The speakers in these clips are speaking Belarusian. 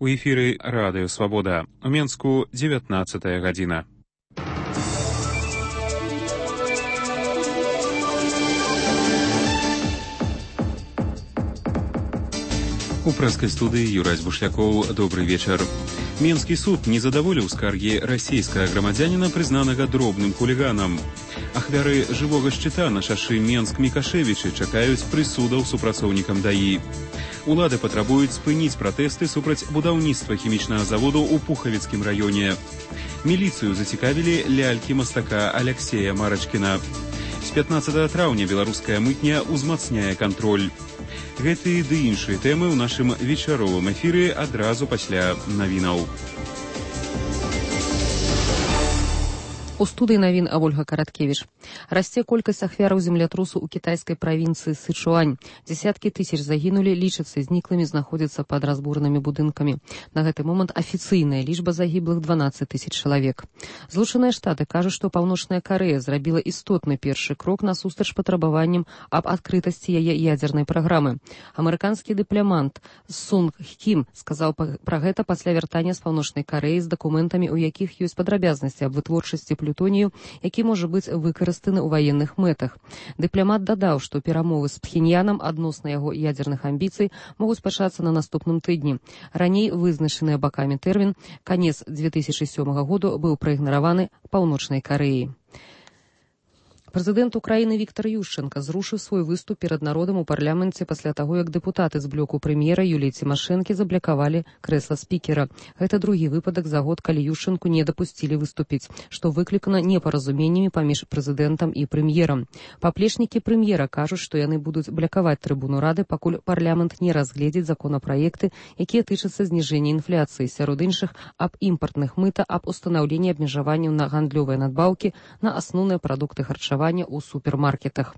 У эфіры Радыё Свабода. У Менску 19 гадзіна. У прэскай студыі Юрась Бушлякоў. Добрый вечар. Менскі суд не задаволіў скаргі расійскага грамадзяніна, прызнанага дробным хуліганам. Ахвяры жывога шчыта на шашы Менск-Мікашевічы чакаюць прысудаў супрацоўнікам ДАІ. Улады патрабуюць спыніць пратэсты супраць будаўніцтва хімічнага заводу ў Пухавіцкім раёне. Міліцыю зацікавілі лялькі мастака Аляксея Марачкіна. З 15 траўня беларуская мытня ўзмацняе кантроль. Гэты ды іншыя тэмы ў нашым вечаровым эфіры адразу пасля навінаў. У студыі навін Ольга Караткевіч. Расце колькасць ахвяраў землятрусу ў кітайскай правінцыі Сычуань. Дзесяткі тысяч загінулі, лічацца зніклымі, знаходзяцца пад разбуранымі будынкамі. На гэты момант афіцыйная лічба загіблых 12 тысяч чалавек. Злучаныя Штаты кажуць, што Паўночная Карэя зрабіла істотны першы крок насустрач патрабаванням аб адкрытасці яе ядзернай праграмы. Амерыканскі дыпламант Сунг Кім сказаў пра гэта пасля вяртання з Паўночнай Карэі з дакументамі, у якіх ёсць падрабязнасці аб вытворчасці плютонію, які можа быць выкарыстаны ў ваенных мэтах. Дыпламат дадаў, што перамовы з Пхеньянам адносна яго ядзерных амбіцый могуць пачацца на наступным тыдні. Раней вызначаны бакамі тэрмін канец 2007 году быў праігнараваны Паўночнай Карэяй. Прэзідэнт Украіны Віктор Ющенка зрушыў свой выступ перад народам у парламенце пасля таго, як дэпутаты з блоку прэм'ера Юліі Цімашэнкі заблакавалі крэсла спікера. Гэта другі выпадак за год, калі Ющенку не дапусцілі выступіць, што выклікана непаразуменнямі паміж прэзідэнтам і прэм'ерам. Паплечнікі прэм'ера кажуць, што яны будуць блакаваць трыбуну рады, пакуль парламент не разгледзіць законапраекты, якія тычацца зніжэння інфляцыі, сярод іншых аб імпартных мыта, аб устанаўленні абмежаванняў на гандлёвыя надбаўкі на асноўныя прадукты харчавання у супермаркетах.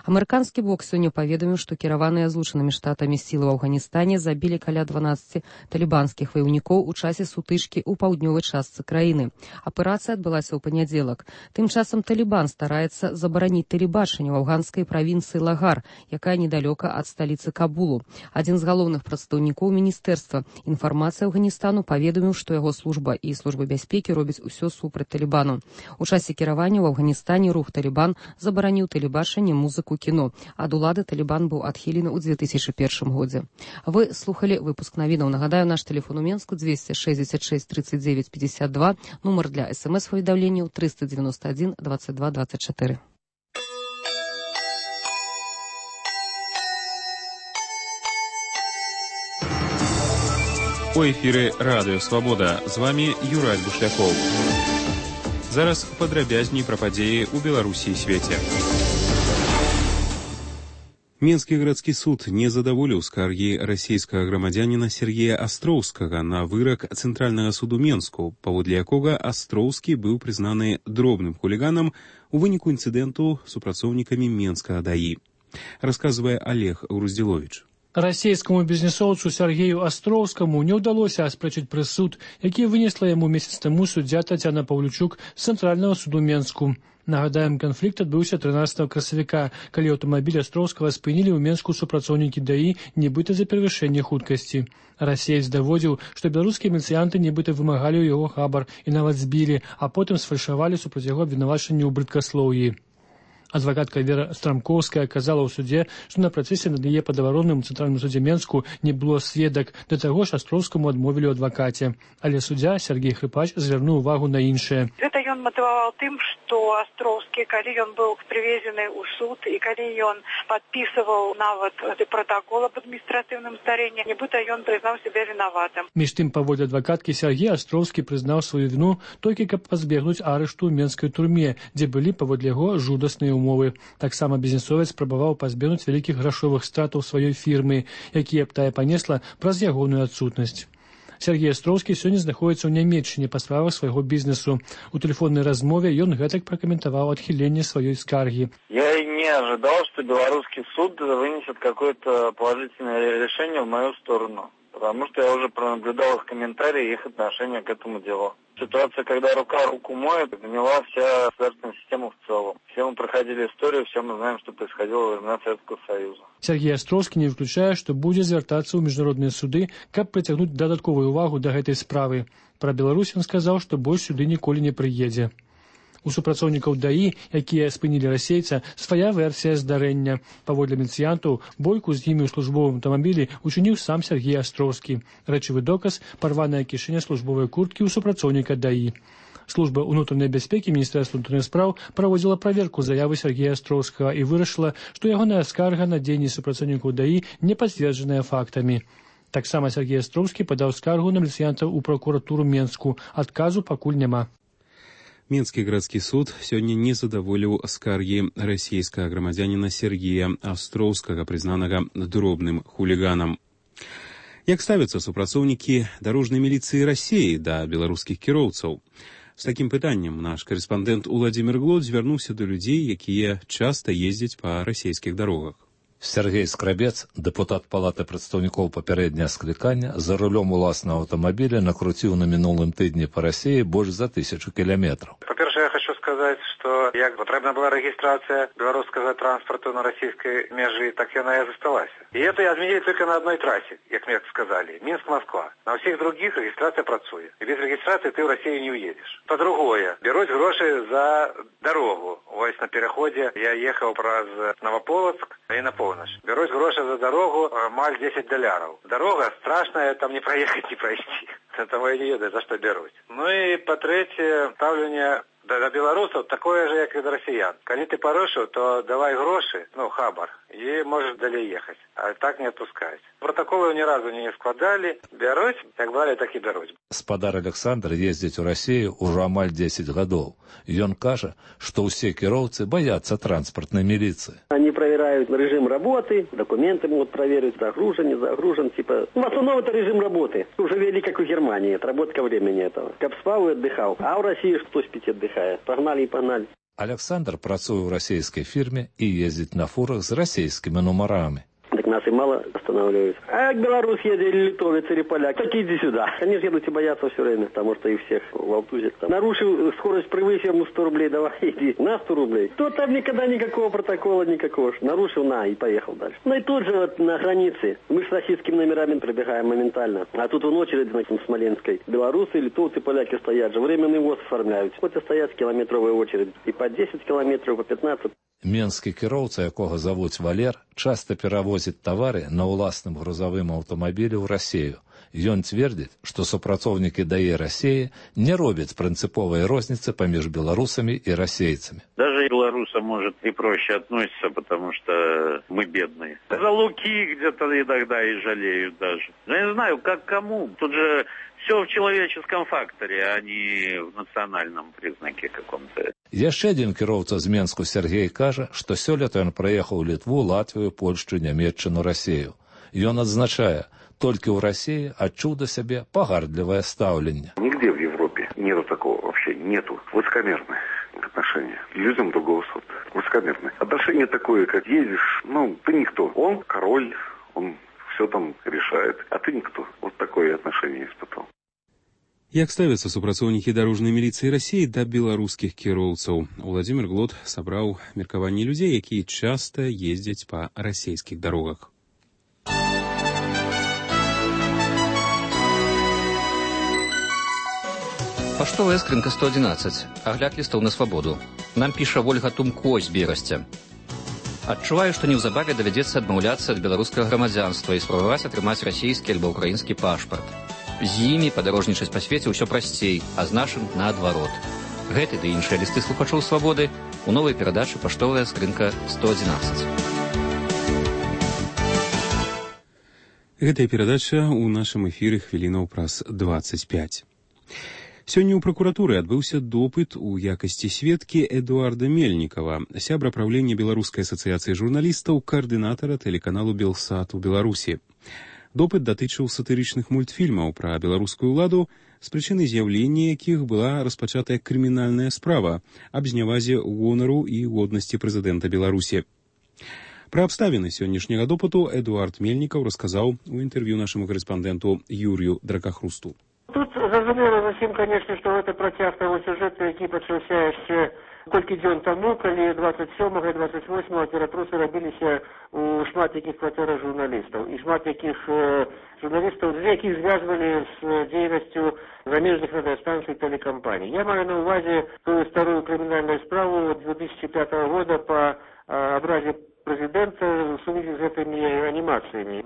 Амерыканскі бок сёння паведаміў, што кіраваныя Злучанымі Штатамі сілы ў Афганістане забілі каля 12 талібанскіх ваяўнікоў у часе сутычкі ў паўднёвай частцы краіны. Аперацыя адбылася ў панядзелак. Тым часам Талібан стараецца забараніць тэлебачанне ў афганскай правінцыі Лагар, якая недалёка ад сталіцы Кабулу. Адзін з галоўных прадстаўнікоў міністэрства інфармацыі Афганістану паведаміў, што яго служба і служба бяспекі робяць усё супраць Талібану. У часе кіравання ў Афганістане рух Талібан забараніў тэлебачанне, музыку, кіно. Ад улады Талібан быў адхілены ў 2001 годзе. Вы слухалі выпуск навінаў. Нагадаю, наш тэлефон у Менску 266 39 52, нумар для СМС-паведамленняў 391 22 24. У эфіры Радыё Свабода. З вами Юрась Бушлякоў. Зараз падрабязней пра падзеі ў Беларусі і свеце. Менскі гарадскі суд не задаволіў скаргі расійскага грамадзяніна Сергея Астроўскага на вырак Цэнтральнага суду Менску, паводле якога Астроўскі быў прызнаны дробным хуліганам у выніку інцыдэнту з супрацоўнікамі Менскага ДАІ. Расказвае Олег Груздзіловіч. Расійскаму бізнесоўцу Сергею Астроўскаму не ўдалося аспрэчыць прысуд, які вынесла яму месяц таму суддзя Тацяна Паўлючук з Цэнтральнага суду Менску. Нагадаем, канфлікт адбыўся 13 красавіка, калі аўтамабіль Астроўскага спынілі ў Менску супрацоўнікі ДАІ, нібыта за перавышэнне хуткасці. Расеец даводзіў, што беларускія міліцыянты нібыта вымагалі ў яго хабар і нават збілі, а потым сфальшавалі супраць яго абвінавачанні ў брыдкаслоўі. Адвакатка Вера Страмкоўская казала ў судзе, што на працэсе над яе падавароным у Цэнтральным судзе Менску не было сведак, да таго ж Астроўскаму адмовілі ў адвакаце. Але суддзя Сергей Хрыпач звярнуў увагу на іншае. Гэта ён матываваў тым, што Астроўскі, калі ён быў прывезены ў суд і калі ён падпісываў нават пратакол аб адміністратыўным здарэнні, нібыта ён прызнаў сябе вінаватым. Між тым, паводле адвакаткі, Сергей Астроўскі прызнаў сваю віну толькі каб пазбегнуць арышту ў менскай турме, дзе былі паводле яго жудасныя умовы. Таксама бізнесовец спрабаваў пазбегнуць вялікіх грашовых стратаў сваёй фірмы, якія б тая панесла праз ягоную адсутнасць. Сергей Астроўскі сёння знаходзіцца ў Нямецчыне па справах свайго бізнесу. У тэлефоннай размове ён гэтак пракаментаваў адхіленне сваёй скаргі. Я не ожидал, что белорусский суд вынесет какое-то положительное решение в мою сторону. Потому что я уже пронаблюдал их комментарии и их отношение к этому делу. Ситуация, когда рука руку моет, гнила вся государственная система в целом. Все мы проходили историю, все мы знаем, что происходило во времена Советского Союза. Сергей Астроўскі не выключае, што будзе звяртацца ў міжнародныя суды, каб прыцягнуць дадатковую увагу да гэтай справы. Пра Беларусь ён сказаў, што больш сюды ніколі не прыедзе. У супрацоўнікаў ДАІ, якія спынілі расейца, свая версія здарэння. Паводле міліцыянтаў, бойку з імі ў службовым аўтамабілі учыніў сам Сергей Астроўскі. Рэчавы доказ – парваная кішэня службовай курткі ў супрацоўніка ДАІ. Служба ўнутранай бяспекі Міністэрства ўнутраных спраў праводзіла праверку заявы Сергея Астроўскага і вырашыла, што ягоная скарга на дзеянні супрацоўнікаў ДАІ не пацверджаная фактамі. Таксама Сергей Астроўскі падаў скаргу на міліцыянтаў у пракуратуру Менску. Адказу пакуль няма. Менскі гарадскі суд сёння не задаволіў скаргі расійскага грамадзяніна Сергея Астроўскага, прызнанага дробным хуліганам. Як ставяцца супрацоўнікі дарожнай міліцыі Расіі да беларускіх кіроўцаў? З такім пытаннем наш карэспандэнт Уладзімір Глод звярнуўся да людзей, якія часта ездзяць па расійскіх дарогах. Сергей Скрабец, дэпутат Палаты прадстаўнікоў папярэдняга склікання, за рулём уласнага аўтамабіля накруціў на мінулым тыдні па Расіі больш за 1000 кіламетраў. Па-першае, я хочу сказаць, што як патрэбна была рэгістрацыя беларускага транспарту на расійскай мяжы, так яна і засталася. І это адменілі толькі на адной трасе, як мне сказалі, Мінск-Москва. На ўсіх другіх рэгістрацыя працуе. І без рэгістрацыі ты ў Расію не уедзеш. Па-другое, бяруць грошы за дарогу. Вось на пераходзе я ехаў праз Новополоцк і на поўнач. Бяруць грошы за дарогу амаль $10. Дарога страшная, там не праехаць, не прайсці. Таму я не ведаю, за што бяруць. Ну і па-трэцяе, стаўленне да беларусаў такое же, як і да расіян. Калі ты парушыў, то давай грошы, хабар, і можаш далей ехаць. А так не адпускаюць. Протаколы ні разу не складалі, бяруць, як бралі, так і бяруць. Спадар Александр ездзіць у Расію ўжо амаль 10 гадоў. Ён кажа, што ўсе кіроўцы баяцца транспартнай міліцыі. Они проверяют режим работы, документы могут проверить, загружен, не загружен, в основном это режим работы. Уже вели, как в Германии, отработка времени этого. Как спал и отдыхал. А в России кто спит и отдыхает? Погнали и погнали. Александр працуе ў расійскай фірме і ездзіць на фурах з расійскімі нумарамі. Так нас и мало останавливают. А как белорус едет, или литовец, или поляк, так иди сюда. Они же едут и боятся все время, потому что их всех волтузят. Нарушил скорость, превысил ему 100 рублей, давай иди, на 100 рублей. То там никогда никакого протокола, никакого. Нарушил, на, и поехал дальше. Ну и тут же вот на границе. Мы с российскими номерами пробегаем моментально. А тут вон очередь на Смоленской. Белорусы, литовцы, поляки стоят же. Временный ВОЗ оформляют. Хоть и стоят километровая очередь. И по 10 километров, по 15. Менскі кіроўца, якога завуць Валер, часта перавозіць тавары на ўласным грузавым аўтамабілі ў Расію. Ён цвердзіць, што супрацоўнікі ДАІ Расіі не робяць прынцыповай розніцы паміж беларусамі і расейцамі. Даже белорусам, может, и проще относятся, потому что мы бедные. За луки где-то иногда и жалеют даже. Я не знаю, как кому. Тут же все в человеческом факторе, а не в национальном признаке каком-то. Яшчэ адзін кіроўца з Менску Сергей кажа, што сёлета ён праехаў Літву, Латвію, Польшчу, Нямецчыну, Расію. Ён адзначае, толькі ў Расіі адчуў да сябе пагардлівае стаўленне. Нигде в Европе нету такого вообще, нету. Высокомерное отношение к людям другого сорта. Высокомерное. Отношение такое, как едешь, ты никто. Он король, он все там решает, а ты никто. Вот такое отношение испытал. Як ставяцца супрацоўнікі дарожнай міліцыі Расіі да беларускіх кіроўцаў? Уладзімір Глод сабраў меркаванні людзей, якія часта ездзяць па расійскіх дарогах. Паштовая скрынка 111. Агляд лістоў на свабоду. Нам піша Вольга Тумко з Берасця. Адчуваю, што неўзабаве давядзецца адмаўляцца ад беларускага грамадзянства і спрабаваць атрымаць расійскі альбо ўкраінскі пашпарт. З імі падарожнічаць па свеце ўсё прасцей, а з нашым наадварот. Гэты ды іншыя лісты слухачоў свабоды у новай перадачы «Паштовая скрынка 111». Гэтая перадача ў нашым эфіры хвілінаў праз 25. Сёння ў пракуратуры адбыўся допыт у якасці сведкі Эдуарда Мельнікава, сябра правлення Беларускай асацыяцыі журналістаў, каардынатара тэлеканалу «Белсат» у Беларусі. Допыт датычыў сатырычных мультфільмаў пра беларускую ўладу, з прычыны з'яўлення якіх была распачатая крымінальная справа аб знявазе гонару і годнасці прэзідэнта Беларусі. Пра абставіны сённяшняга допыту Эдуард Мельнікаў расказаў у інтэрв'ю нашаму карэспандэнту Юрію Дракахрусту. Тут зразумела зусім, конечно, што гэта працяг таго сюжэту, які пачаўся яшчэ колькі некалькі дзён таму, калі 27 і 28 ператрусы рабіліся у шмат якіх кватэрах журналістаў. І шмат якіх журналістаў, якіх звязвалі з дзейнасцю замежных радыёстанцый і тэлекампаній. Я маю на ўвазе тую старую крымінальную справу 2005 года па абразе президента в связи с этими анимациями.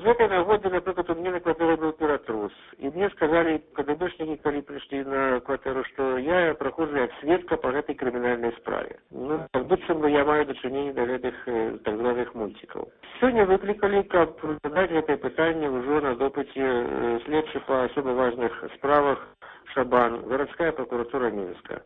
С этой нагоды, например, у меня на квартире был пиратрус. И мне сказали КДБшники, когда пришли на квартиру, что я прохожу как свидка по этой криминальной справе. Ну, как будто бы я маю дочинение до этих так званых мультиков. Сегодня выкликали, как задать это питание уже на допыте следствия по особо важных справах Шабан, городская прокуратура Минска.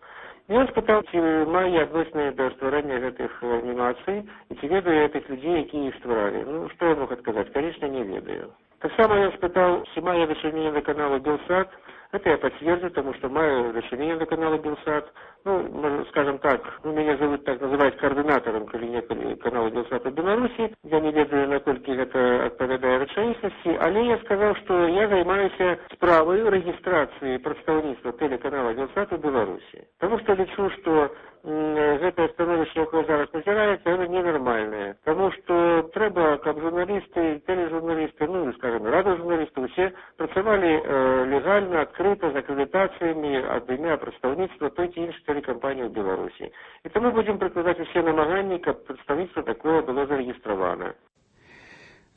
И он спытал, ці маю я адносіны да стварэння гэтых анімацый, і ці ведаю я этих людей, якія іх стваралі. Ну, што я мог адказаць? Конечно, не ведаю. Так само я спытал, ці маю я дачыненне до канала Белсат. Это я подтверждаю, потому что маю дачыненне до канала Белсат. Ну, скажем так, меня зовут так называть координатором канала Белсат в Беларуси. Я не ведаю, наколькі гэта адпавядае рэчаіснасці, але я сказал, что я займаюся справай рэгістрацыі прадстаўніцтва тэлеканала Белсат в Беларуси. Потому что лічу, что гэтае становішча, якое зараз назіраецца, это ненармальнае. Потому что трэба, каб журналісты, тележурналісты, ну, скажем, радыожурналісты, усе працавалі легальна, адкрыта, з акрэдытацыямі ад імя прадстаўніцтва той ці іншай телекомпании в Беларуси. И то мы будем прикладать все намагания, как представительство такое было зарегистрировано.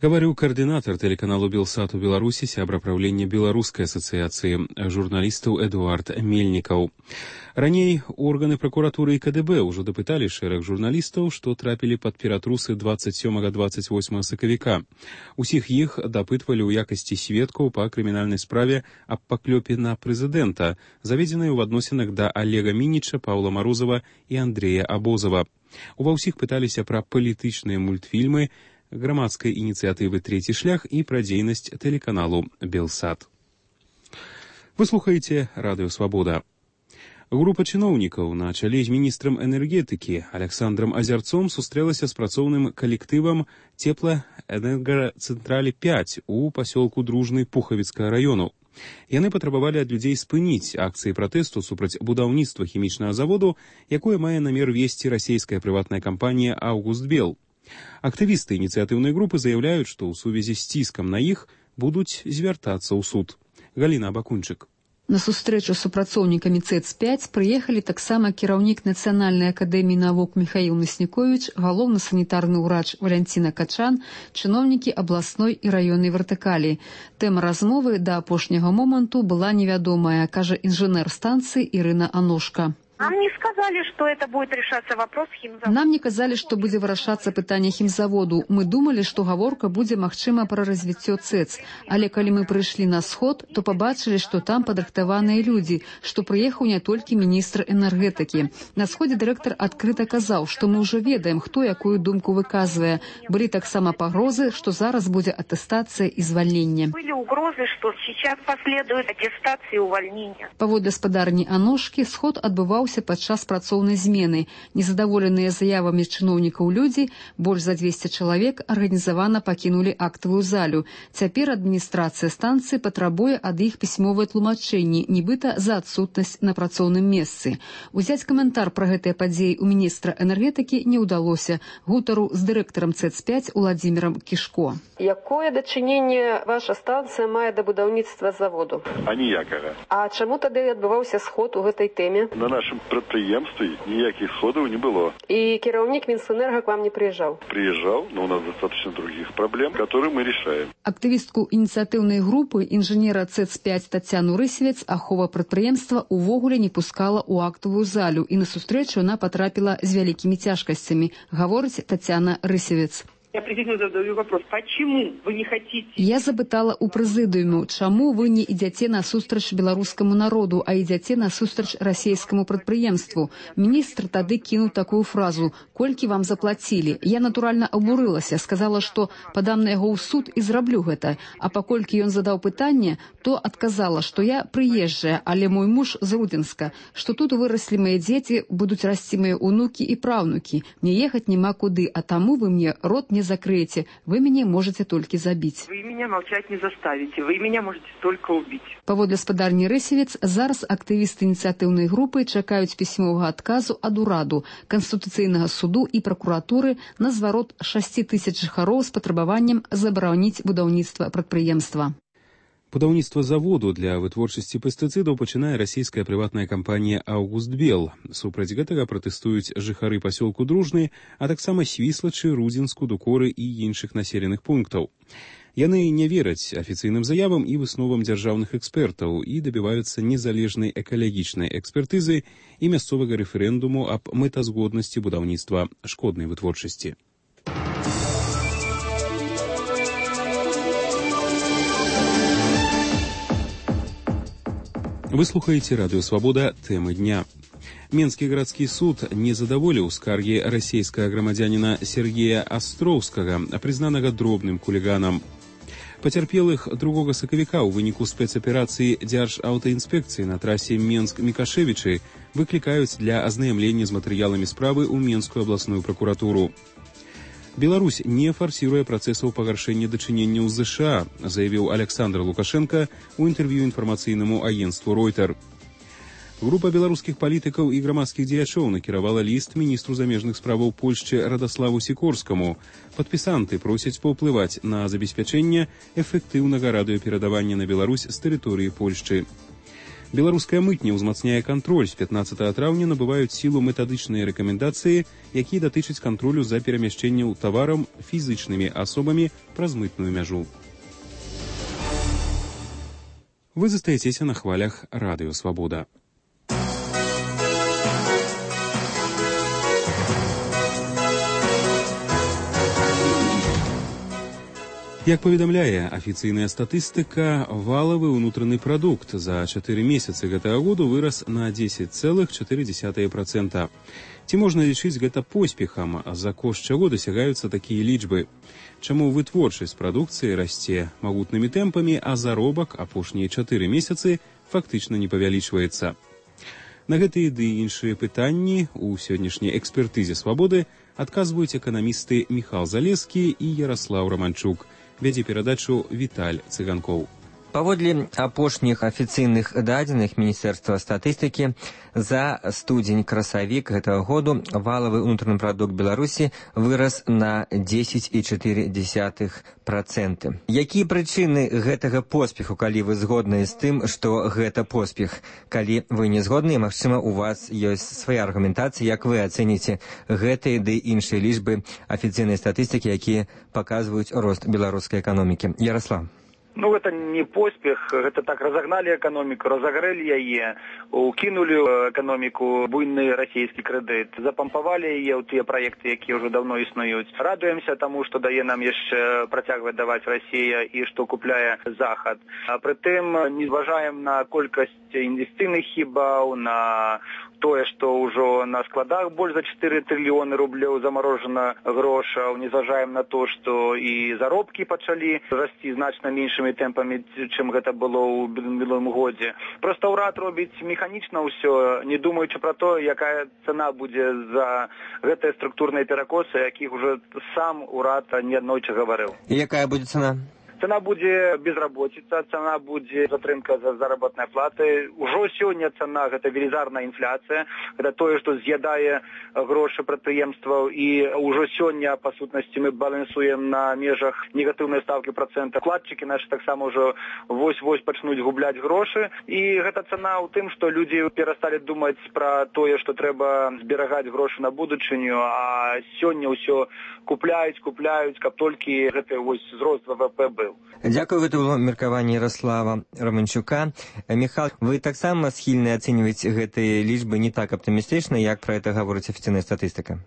Говорю координатор телеканалу Белсат у Беларуси, сябра правлення Беларускай асацыяцыі журналістаў Эдуард Мельнікаў. Раней органы прокуратуры и КДБ ўжо дапыталі шэраг журналістаў, што трапілі пад ператрусы 27-28 сакавіка. Усіх іх дапытвалі ў якасці сведкаў па крымінальнай справе аб паклёпе на прэзідэнта, заведзенай у адносінах да Олега Мініча, Паўла Марозава і Андрэя Абозава. Ува ўсіх пыталіся пра палітычныя мультфільмы, грамадскай ініцыятывы «Трэці шлях» і пра дзейнасць тэлеканалу «Белсат». Вы слухаеце радыё «Свабода». Група чыноўнікаў на чале з міністрам энергетыкі Александром Азярцом сустрэлася з працоўным калектывам Цеплаэнергацэнтралі 5 у пасёлку Дружны Пухавіцкага раёну. Яны патрабавалі ад людзей спыніць акцыі пратэсту супраць будаўніцтва хімічнага заводу, якое мае намер весці расійская прыватная кампанія «Аўгустбел». Актывісты ініцыятыўнай групы заяўляюць, што ў сувязі з ціскам на іх будуць звяртацца ў суд. Галіна Бакунчык. На сустрэчу з супрацоўнікамі ЦЭЦ-5 прыехалі таксама кіраўнік Нацыянальнай акадэміі навук Міхаіл Масніковіч, галоўны санітарны ўрач Валянціна Качан, чыноўнікі абласной і раённай вертыкалі. Тэма размовы да апошняга моманту была невядомая, кажа інжынер станцыі Ірына Аношка. Нам не сказали, что это будет решаться вопрос хімзаводу. Нам не казалі, што будзе вырашацца пытанне хімзаводу. Мы думалі, што гаворка будзе магчыма пра развіццё ЦЭЦ. Але калі мы прыйшлі на сход, то пабачылі, што там падрыхтаваныя людзі, што прыехаў не толькі міністр энергетыкі. На сходзе дырэктар адкрыта казаў, што мы ўжо ведаем, хто якую думку выказвае. Былі таксама пагрозы, што зараз будзе атэстацыя і звальненне. Былі угрозы, што сейчас последует аттестация и увольнение. Паводле гаспадарні Аношкі, сход адбываўся падчас працоўнай змены. Незадаволеныя заявамі чыноўнікаў людзі, больш за 200 чалавек арганізавана пакінулі актавую залю. Цяпер адміністрацыя станцыі патрабуе ад іх пісьмовыя тлумачэнні, нібыта за адсутнасць на працоўным месцы. Узяць каментар пра гэтыя падзеі ў міністра энергетыкі не ўдалося. Гутару з дырэктарам ЦЭЦ-5 Уладзімірам Кішко. Якое дачыненне ваша станцыя мае да будаўніцтва заводу? Аніякага. А чаму тады адбываўся сход у гэтай тэме? На нашым прадпрыемстве ніякіх сходаў не было. И кіраўнік Мінсэнерга к вам не приезжал? Приезжал, но у нас достаточно других проблем, которые мы решаем. Актывістку ініцыятыўнай групы інжынера ЦЭЦ-5 Тацяну Рысевец ахова прадпрыемства увогуле не пускала ў актавую залю, і на сустрэчу она потрапіла з вялікімі цяжкасцямі, гаворыць Тацяна Рысевец. Я президенту задаю вопрос, почему вы не хотите? Я запытала у прэзідыуму, чаму вы не ідзяце насустрач беларускаму народу, а ідзяце насустрач расійскаму прадпрыемству. Міністр тады кінуў такую фразу: «Колькі вам заплацілі?» Я натуральна абурылася, сказала, што падам на яго ў суд і зраблю гэта. А паколькі ён задаў пытанне, то адказала, што я прыезджая, але мой муж з Рудзенска, што тут выраслі мае дзеці, будуць расці мае ўнукі і праўнукі. Мне ехаць няма куды, а таму вы мне рот не не закрыеце, вы мяне можете толькі забіць. Вы меня молчать не заставите, вы меня можете только убить. Паводле спадарні Рэсевец, зараз актывісты ініцыятыўнай групы чакаюць пісьмовага адказу ад ураду, Канстытуцыйнага суду і пракуратуры на зварот 6 000 жыхароў з патрабаваннем забараніць будаўніцтва прадпрыемства. Будаўніцтва заводу для вытворчасці пестыцыдаў пачынае расійская прыватная кампанія «Аўгустбел». Супраць гэтага пратэстуюць жыхары пасёлку Дружны, а таксама Свіслачы, Рудзінску, Дукоры і іншых населеных пунктаў. Яны не вераць афіцыйным заявам і высновам дзяржаўных экспертаў і дабіваюцца незалежнай экалагічнай экспертызы і мясцовага рэферэндуму аб мэтазгоднасці будаўніцтва шкоднай вытворчасці. Вы слухаеце радыё «Свабода», тэмы дня. Менскі гарадскі суд не задаволіў скаргі расійскага грамадзяніна Сергея Астроўскага, прызнанага дробным хуліганам. Пацярпелых 2 сакавіка ў выніку спецаперацыі дзяржаўтаінспекцыі на трасе Менск-Мікашевічы выклікаюць для азнаямлення з матэрыяламі справы ў Менскую абласную пракуратуру. Беларусь не фарсіруе працэсаў пагаршэння дачыненняў з ЗША, заявіў Александр Лукашенко ў інтэрв'ю інфармацыйнаму агенцтву Ройтер. Група беларускіх палітыкаў і грамадскіх дзеячоў накіравала ліст міністру замежных справаў Польшчы Радаславу Сікорскаму. Падпісанты просяць паўплываць на забеспячэнне эфектыўнага радыёперадавання на Беларусь з тэрыторыі Польшчы. Беларуская мытня ўзмацняе кантроль. З 15 траўня набываюць сілу метадычныя рэкамендацыі, якія датычаць кантролю за перамяшчэнняў таварам фізычнымі асобамі праз мытную мяжу. Вы застаецеся на хвалях радыё «Свабода». Як паведамляе афіцыйная статыстыка, валавы ўнутраны прадукт за 4 месяцы гэтага году вырас на 10,4%. Ці можна лічыць гэта поспехам, за кошт чаго дасягаюцца такія лічбы? Чаму вытворчасць прадукцыі расце магутнымі тэмпамі, а заробак апошнія 4 месяцы фактычна не павялічваецца? На гэтыя ды іншыя пытанні ў сённяшняй экспертызе «Свабоды» адказваюць эканамісты Міхал Залескі і Яраслаў Раманчук. Вядзе перадачу Віталь Цыганкоў. Паводле апошніх афіцыйных дадзеных Міністэрства статыстыкі, за студзень-красавік гэтага году валавы ўнутраны прадукт Беларусі вырас на 10,4%. Якія прычыны гэтага поспеху, калі вы згодныя з тым, што гэта поспех? Калі вы не згодныя, магчыма, у вас ёсць свая аргументацыя, як вы ацэніце гэтыя ды іншыя лічбы афіцыйнай статыстыкі, якія паказваюць рост беларускай эканомікі. Ярослав. Ну, это не поспех, это так разогнали экономику, разогрели яе, укинули экономику буйный российский кредит, запампавали яе ў тыя проекты, якія ўжо давно існуюць. Радуемся тому, што дае нам яшчэ працягваць даваць Россия і што купляе Захад. А прытым не зважаем на колькасць інвестыцыйных хібаў, на тое, што ўжо на складах больш за 4 трыльёны рублёў замарожана грошаў, не зважаем на то, што і заробкі пачалі расці значна меншымі тэмпамі, чым гэта было ў мінулым годзе. Проста ўрад робіць механічна ўсё, не думаючы пра то, якая цана будзе за гэтыя структурныя перакосы, якіх уже сам урад неаднойчы гаварыў. І якая будзе цана? Цена будзе безработица, цена будзе затрымка за заработнай платы. Ужо сёння цана гэта велізарная інфляцыя, гэта тое, што з'ядае грошы прадпрыемстваў, і ўжо сёння па сутнасці мы балансуем на межах негатыўнай ставкі працэнта. Вкладчыкі наші таксама ўжо вось-вось пачнуць губляць грошы, і гэта цана ў тым, што людзі перасталі думаць пра тое, што трэба зберагаць грошы на будучыню, а сёння ўсё купляюць, каб толькі гэты вось зрост ВВП быў. Дзякую, гэта было меркаванне Ярослава Романчука. Михал, вы таксама схільны ацэньваць гэтыя лічбы не так аптымістычна, як пра гэта гаворыць афіцыйная статыстыка?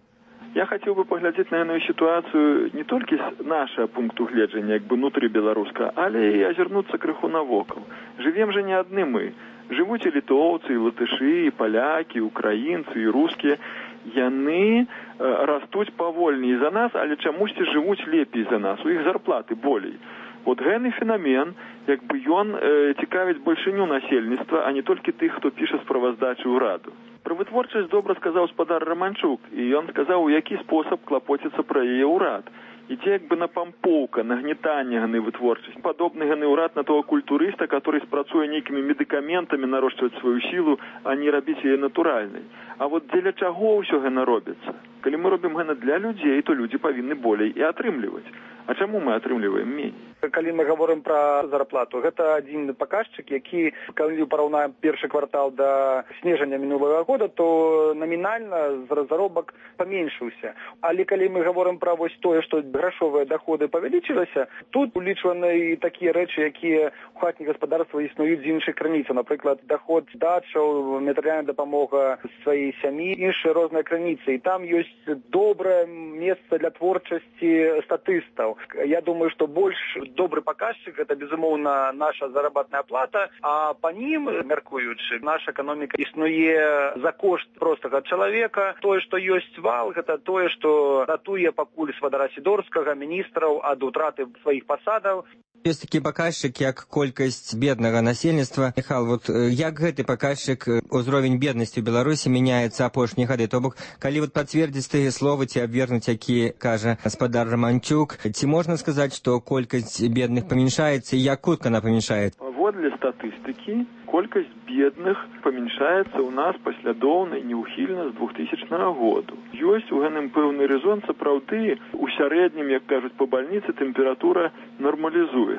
Я хотел бы поглядзець на эту ситуацию не только с нашего пункту гледжання, як бы внутри беларуска, але и озернуться крыху навокал. Живем же не одни мы. Живут и литовцы, и латыши, и поляки, и украинцы, и русские. Яны растуць павольней за нас, але чамусьці жывуць лепей за нас, у іх зарплаты болей. Вот гэты феномен, як бы ён цікавіць большыню насельніцтва, а не толькі тых, хто піша справаздачы ўраду. Пра вытворчасць добра сказаў спадар Раманчук, і ён сказаў, у які спосаб клапоціцца пра яе ўрад. ідзе як бы напампоўка, нагнетанне ганы вытворчасці. Падобны ганы ўрад на того культурыста, который спрацуе нейкімі медыкаментамі нарошчваць сваю сілу, а не рабіць яе натуральнай. А вот дзеля чаго ўсё гэта робіцца? Калі мы робім гэта для людзей, то людзі павінны болей і атрымліваць. А чаму мы атрымліваем меней? Калі мы говорим про зарплату, гэта один показчик, які, калі параўнаем першы квартал до снежання мінулого года, то номінальна заробак паменшыўся. Але калі мы говорим про вось тое, што грашовыя доходы павялічыліся, тут улічваны і такія рэчы, якія у хатніх гаспадарства існуюць з іншых крыніцаў. Напрыклад, доход дачаў, матэрыяльная дапамога сваёй сям'і, іншыя розныя крыніцы. І там ёсць добрае месца для творчасці статыстаў. Я думаю, што больш добры паказчык гэта, безумоўна, наша заработная плата, а па нім, мяркуючы, наша эканоміка існуе за кошт простага чалавека. Тое, што ёсць вал, гэта тое, што ратуе пакуль сватара Сідорскага, міністраў ад утраты сваіх пасадаў. Ёсць такі паказчык, як колькасць беднага насельніцтва. Міхал, вот як гэты паказчык, узровень беднасці ў Беларусі мяняецца апошнія гады? То бок, калі вот пацвердзіць тыя словы ці абвергнуць, які кажа гаспадар Романчук, ці можна сказаць, што колькасць бедных памяншаецца і як хутка она памяншаецца? Паводле статыстыкі, колькасць бедных памяншаецца ў нас паслядоўна і неўхільна з 2000 году. Ёсць у гэтым пэўны рэзон, сапраўды, у сярэднім, як кажуць па бальніцы, тэмпература нармалізуецца.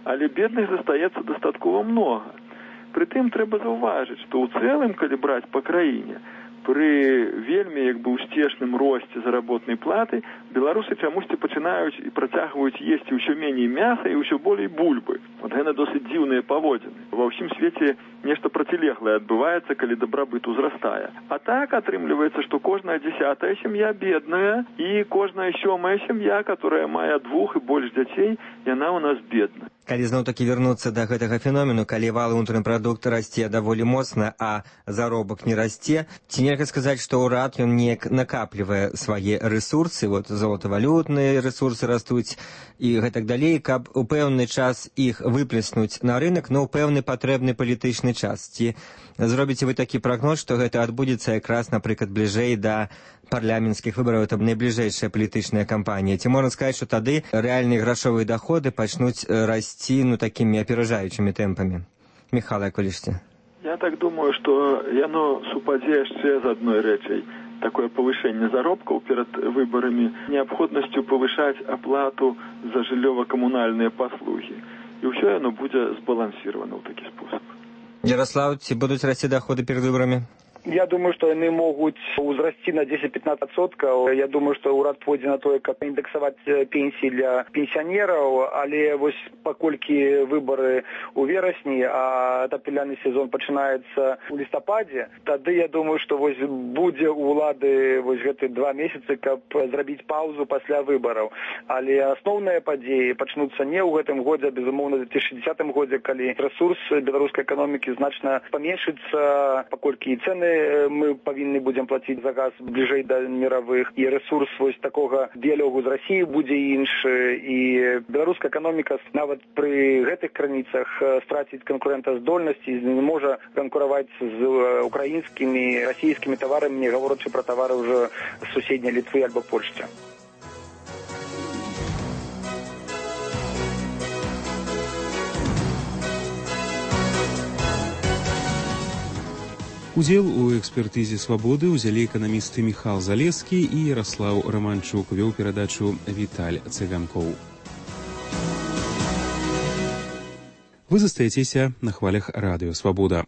Але бедных застаецца дастаткова многа. Прытым трэба заўважыць, што ў цэлым, калі браць па краіне, пры вельмі як бы ўспешным росце заработнай платы беларусы чамусьці пачынаюць і працягваюць есці ўсё меней мяса і ўсё болей бульбы. Вот гэта досыць дзіўныя паводзіны. Ва ўсім свеце нешта процілеглае адбываецца, калі дабрабыт узрастае. А так атрымліваецца, што кожная 10-я сям'я бедная і кожная 7-я сям'я, которая мае 2 і больш дзяцей, яна ў нас бедная. Калі зноў-такі вярнуцца да гэтага феномену, калі валы ўнутраны прадукт расце даволі моцна, а заробак не расце, ці нельга сказаць, што ўрад ён неяк накаплівае свае рэсурсы, вот золотавалютныя рэсурсы растуць і гэтак далей, каб у пэўны час іх выплеснуць на рынок, но ў пэўны патрэбны палітычны час. Ці зробіце вы такі прагноз, што гэта адбудзецца якраз, напрыклад, бліжэй да парламенцкіх выбараў, там найбліжэйшая палітычная кампанія? Ці можна сказаць, што тады рэальныя грашовыя доходы пачнуць расці такімі аперажаючымі тэмпамі? Міхал, як вы лічыце? Я так думаю, што яно супадзе яшчэ з адной рэчай. Такое павышэнне заробкаў перад выбарамі, неабходнасцю павышаць аплату за жыллёва-камунальныя паслугі. І ўсё яно будзе збалансіравана ў такі спосаб. Ярослав, ці будуць расці доходы перад выбарамі? Я думаю, што яны могуць узрасці на 10-15%. Я думаю, што ўрад пойдзе на тое, каб індексаваць пенсіі для пенсіянераў, але вось паколькі выбары ў верасні, а атапляны сезон пачынаецца ў лістападзе, тады я думаю, што вось будзе у ўлады вось гэты 2 месяцы, каб зрабіць паўзу пасля выбараў. Але асноўныя падзеі пачнуцца не ў гэтым годзе, безумоўна, ў 2060 годзе, калі рэсурс беларускай эканомікі значна паменшыцца, паколькі і цэны мы павінны будзем плаціць за газ бліжэй да міравых, і рэсурс вось такога дыялогу з Расіяй будзе іншы, і беларуская эканоміка нават пры гэтых крыніцах страціць канкурэнтаздольнасць і не можа канкураваць з украінскімі, расійскімі таварамі, не гаворачы пра тавары ўжо з суседняй Літвы альбо Польшчы. Удзел у экспертызе «Свабоды» узялі эканамісты Міхал Залескі і Ярослаў Романчук. Вёў перадачу Віталь Цыганкоў. Вы застаецеся на хвалях радыё «Свабода».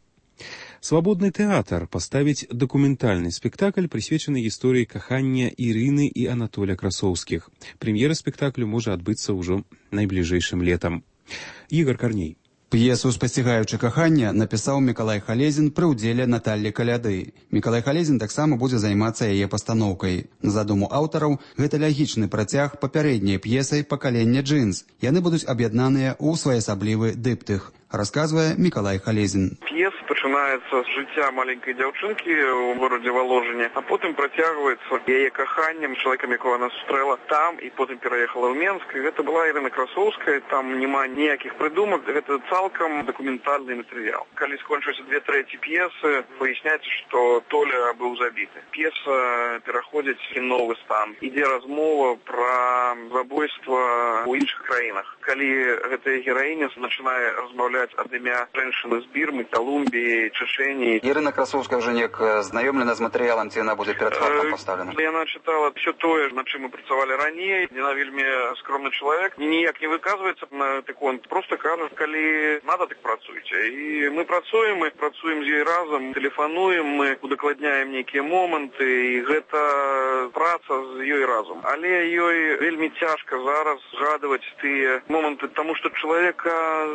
Свабодны тэатр паставіць дакументальны спектакль, прысвечаны гісторыі кахання Ірыны і Анатоля Красоўскіх. Прэм'ера спектаклю можа адбыцца ўжо найбліжэйшым летам. Ігор Карней. П'есу «Спасцігаючы кахання» напісаў Мікалай Халезін пры ўдзеле Наталлі Каляды. Мікалай Халезін таксама будзе займацца яе пастаноўкай. На задуму аўтараў, гэта лягічны працяг папярэдняй п'есай «Пакаленне джынс». Яны будуць аб'яднаныя ў своеасаблівы дыптых, расказвае Мікалай Халезін. П'еса пачынаецца з жыцця маленькай дзяўчынкі ў горадзе Воложине, а потым працягваецца яе каханнем чалавекам, якога она сустрэла там і потым пераехала ў Менск. І гэта была Ірына Красоўская, там няма ніякіх прыдумак, гэта цалкам дакументальны матэрыял. Калі скончыліся 2/3 п'есы, выясняецца, што Толя быў забіты. П'еса пераходзіць у новы стан. Ідзе размова пра забойства ў іншых краінах. Калі гэтая гераіня пачынае размаўляць ад імя женщины з Бірмы, Колумбіі, Чечені. Ірына Красоўская ўжо неяк знаёмлена з матэрыялам, ці яна будзе перад фактам пастаўлена? Яна чытала все тое, над чым мы працавалі раней. Яна вельмі скромны чалавек, ніяк не выказваецца на тыкон, просто кажа, калі надо, так працуйце. І мы працуем з ёй разам, тэлефануем, мы удакладняем нейкія моманты, і гэта праца з ёй разам. Але ёй вельмі цяжка зараз згадваць тыя моманты, таму што чалавека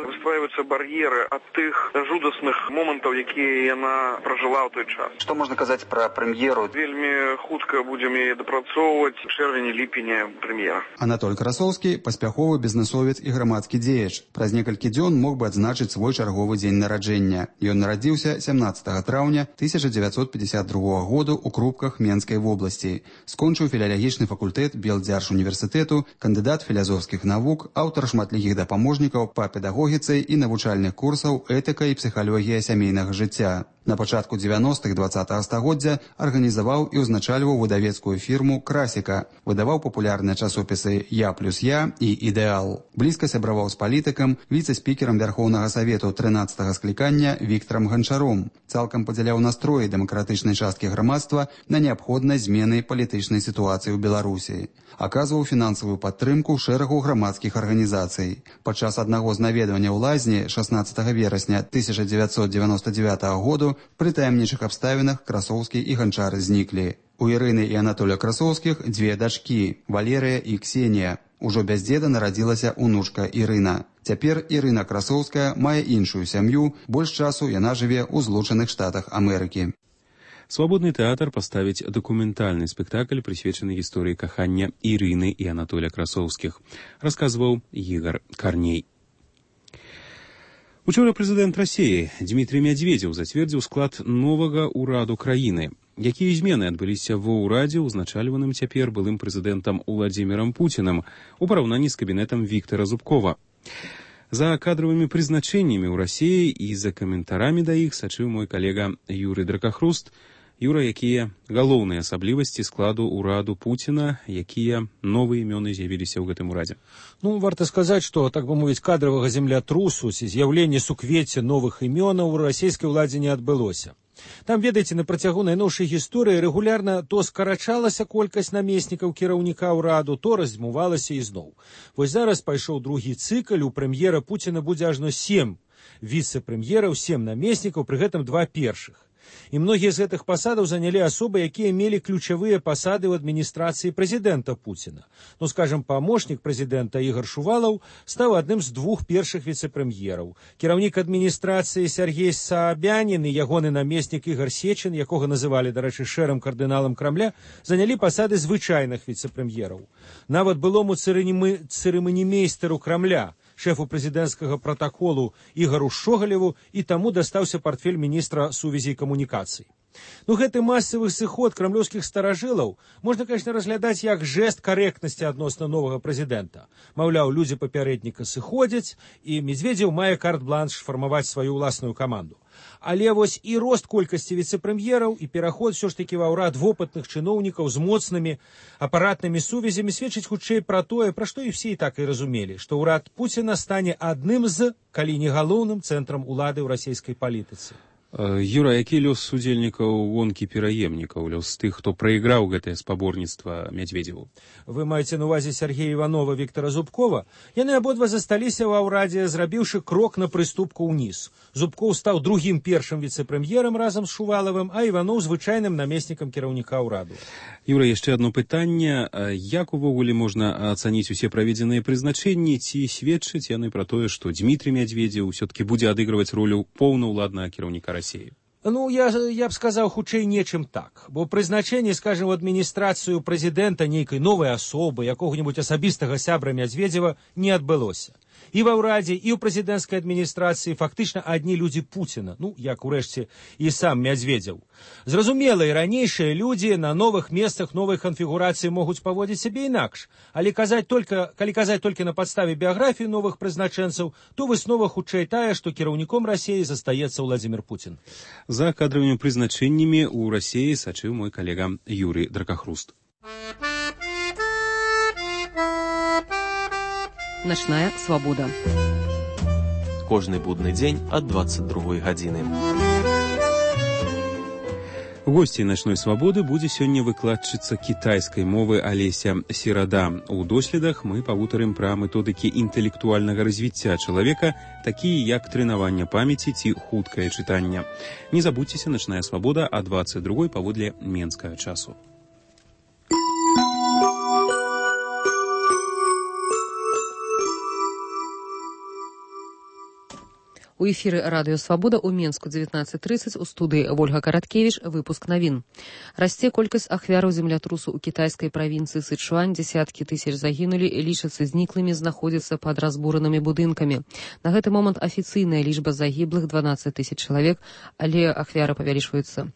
выстраиваюцца бар'еры ад тых жудасных момантаў, якія яна пражыла ў той час. Што можна казаць пра прэм'еру? Вельмі хутка будзем яе дапрацоўваць, чэрвені-ліпеня прэм'ера. Анатоль Красоўскі паспяховы бізнесовец і грамадскі дзеяч. Праз некалькі дзён мог бы адзначыць свой чарговы дзень нараджэння. Ён нарадзіўся 17 траўня 1952 году ў Крупках Менскай вобласці. Скончыў філалагічны факультэт Белдзяржуніверсітэту, кандыдат філазофскіх навук, аўтар шматлікіх дапаможнікаў па педагогіцы і навучальных курсаў этыка і псіхалогія сямейнага жыцця. На пачатку 90-х 20-го стагоддзя арганізаваў і ўзначальваў выдавецкую фірму «Красіка», выдаваў папулярныя часопісы «Я плюс я» і «Ідэал». Блізка сябраваў з палітыкам, віцэ-спікерам Вярхоўнага Савету 13-го склікання Віктарам Ганчаром. Цалкам падзяляў настроі дэмакратычнай часткі грамадства на неабходнасць змены палітычнай сітуацыі ў Беларусі. Аказваў фінансавую падтрымку шэрагу грамадскіх арганізацый. Падчас аднаго з наведвання ў лазні 16 верасня 1999 году пры таямнічых абставінах Красоўскі і Ганчар зніклі. У Ірыны і Анатоля Красоўскіх дзве дачкі – Валерыя і Ксенія. Ужо без дзеда нарадзілася унучка Ірына. Цяпер Ірына Красоўская мае іншую сям'ю, больш часу яна жыве ў Злучаных Штатах Амерыкі. Свабодны тэатр паставіць дакументальны спектакль, прысвечаны гісторыі кахання Ірыны і Анатоля Красоўскіх, расказваў Ігар Карней. Учора прэзідэнт Расіі Дмітрий Медведзеў зацвердзіў склад новага ўраду краіны. Якія змены адбыліся ва ўрадзе, узначальваным цяпер былым прэзідэнтам Уладзімірам Пуцінам у параўнанні з кабінетам Віктара Зубкова. За кадровымі прызначэннямі ў Расіі і за каментарамі да іх сачыў мой калега Юрый Дракахруст. Юра, якія галоўныя асаблівасці складу ўраду Пуціна, якія новыя імёны з'явіліся ў гэтым урадзе? Варта сказаць, што, так бы мовіць, кадравага землятрусу ці з'яўлення суквецця новых імёнаў у расійскай уладзе не адбылося. Там, ведаеце, на працягу найноўшай гісторыі рэгулярна то скарачалася колькасць намеснікаў кіраўніка ўраду, то раздзьмувалася ізноў. Вось зараз пайшоў другі цыкл, у прэм'ера Пуціна будзе ажно 7 віцэ-прэм'ераў, 7 намеснікаў, пры гэтым 2 першых. І многія з гэтых пасадаў занялі асобы, якія мелі ключавыя пасады ў адміністрацыі прэзідэнта Пуціна. Скажам, памочнік прэзідэнта Ігар Шувалаў стаў адным з 2 першых віцэ-прэм'ераў. Кіраўнік адміністрацыі Сергей Саабянін і ягоны намеснік Ігар Сечин, якога называлі, дарэчы, шэрым кардыналам Крамля, занялі пасады звычайных віцэ-прэм'ераў. Нават былому цырыманімейстару Крамля, шэфу прэзідэнцкага пратаколу Ігару Шогалеву, і таму дастаўся партфель міністра сувязі і камунікацый. Гэты масавы сыход крамлёўскіх старажылаў можна, конечно, разглядаць як жэст карэктнасці адносна новага прэзідэнта. Маўляў, людзі папярэдніка сыходзяць, і Медведзеў мае карт-бланш фармаваць сваю ўласную каманду. Але вось і рост колькасці віцэ-прэм'ераў і пераход ўсё ж такі ва ўрад вопытных чыноўнікаў з моцнымі апаратнымі сувязямі сведчыць хутчэй пра тое, пра што і ўсе і так і разумелі, што ўрад Пуціна стане адным з, калі не галоўным цэнтрам улады ў расійскай палітыцы. Юра, які лёс удзельнікаў гонкі пераемнікаў, лёс тых, хто прайграў гэтае спаборніцтва Медведзеву? Вы маеце на увазе Сергея Іванова, Віктара Зубкова? Яны абодва засталіся ва ўрадзе, зрабіўшы крок на прыступку ўніз. Зубкоў стаў другім першым віцэ-прэм'ерам разам з Шувалавым, а Іванов звычайным намеснікам кіраўніка ўраду. Юра, яшчэ адно пытанне. Як увогуле можна ацаніць усе праведзеныя прызначэнні, ці сведчаць яны пра тое, што Дмітрий Медведзеў ўсё-такі будзе адыгрываць ролю поўнаўладнага кіраўніка Расіі? Я б сказаў хутчэй нечым так, бо прызначэнне, скажем, у адміністрацыю прэзідэнта нейкай новай асобы, якога-нибудь асабістага сябра Медведзева не адбылося. І ва ўрадзе, і ў прэзідэнцкай адміністрацыі фактычна адні людзі Пуціна, як урэшце і сам Мядзведзеў. Зразумела, і ранейшыя людзі на новых месцах новай канфігурацыі могуць паводзіць сябе інакш, але калі казаць толькі на падставе біяграфіі новых прызначэнцаў, то выснова хутчэй тая, што кіраўніком Расіі застаецца Владзімір Пуцін. За кадровымі прызначэннямі ў Расіі сачыў мой калега Юрый Дракахруст. Начная свабода. Кожны будны дзень ад 22 гадзіны. Госцей начной свабоды будзе сёння выкладчыца кітайскай мовы Алеся Серада. У доследах мы павутарым пра методыкі інтэлектуальнага развіцця чалавека, такія як трэнаванне памяці ці хуткае чытанне. Не забудзьцеся, начная свабода а 22 паводле менскага часу. У эфіры радыё «Свабода» ў Менску 19:30 у студыі Вольга Караткевіч выпуск навін. Расце колькасць ахвяраў землятрусу ў кітайскай правінцыі Сычуань, дзесяткі тысяч загінулі, лічацца зніклымі, знаходзяцца пад разбуранымі будынкамі. На гэты момант афіцыйная лічба загіблых 12 тысяч чалавек, але ахвяры павялічваюцца.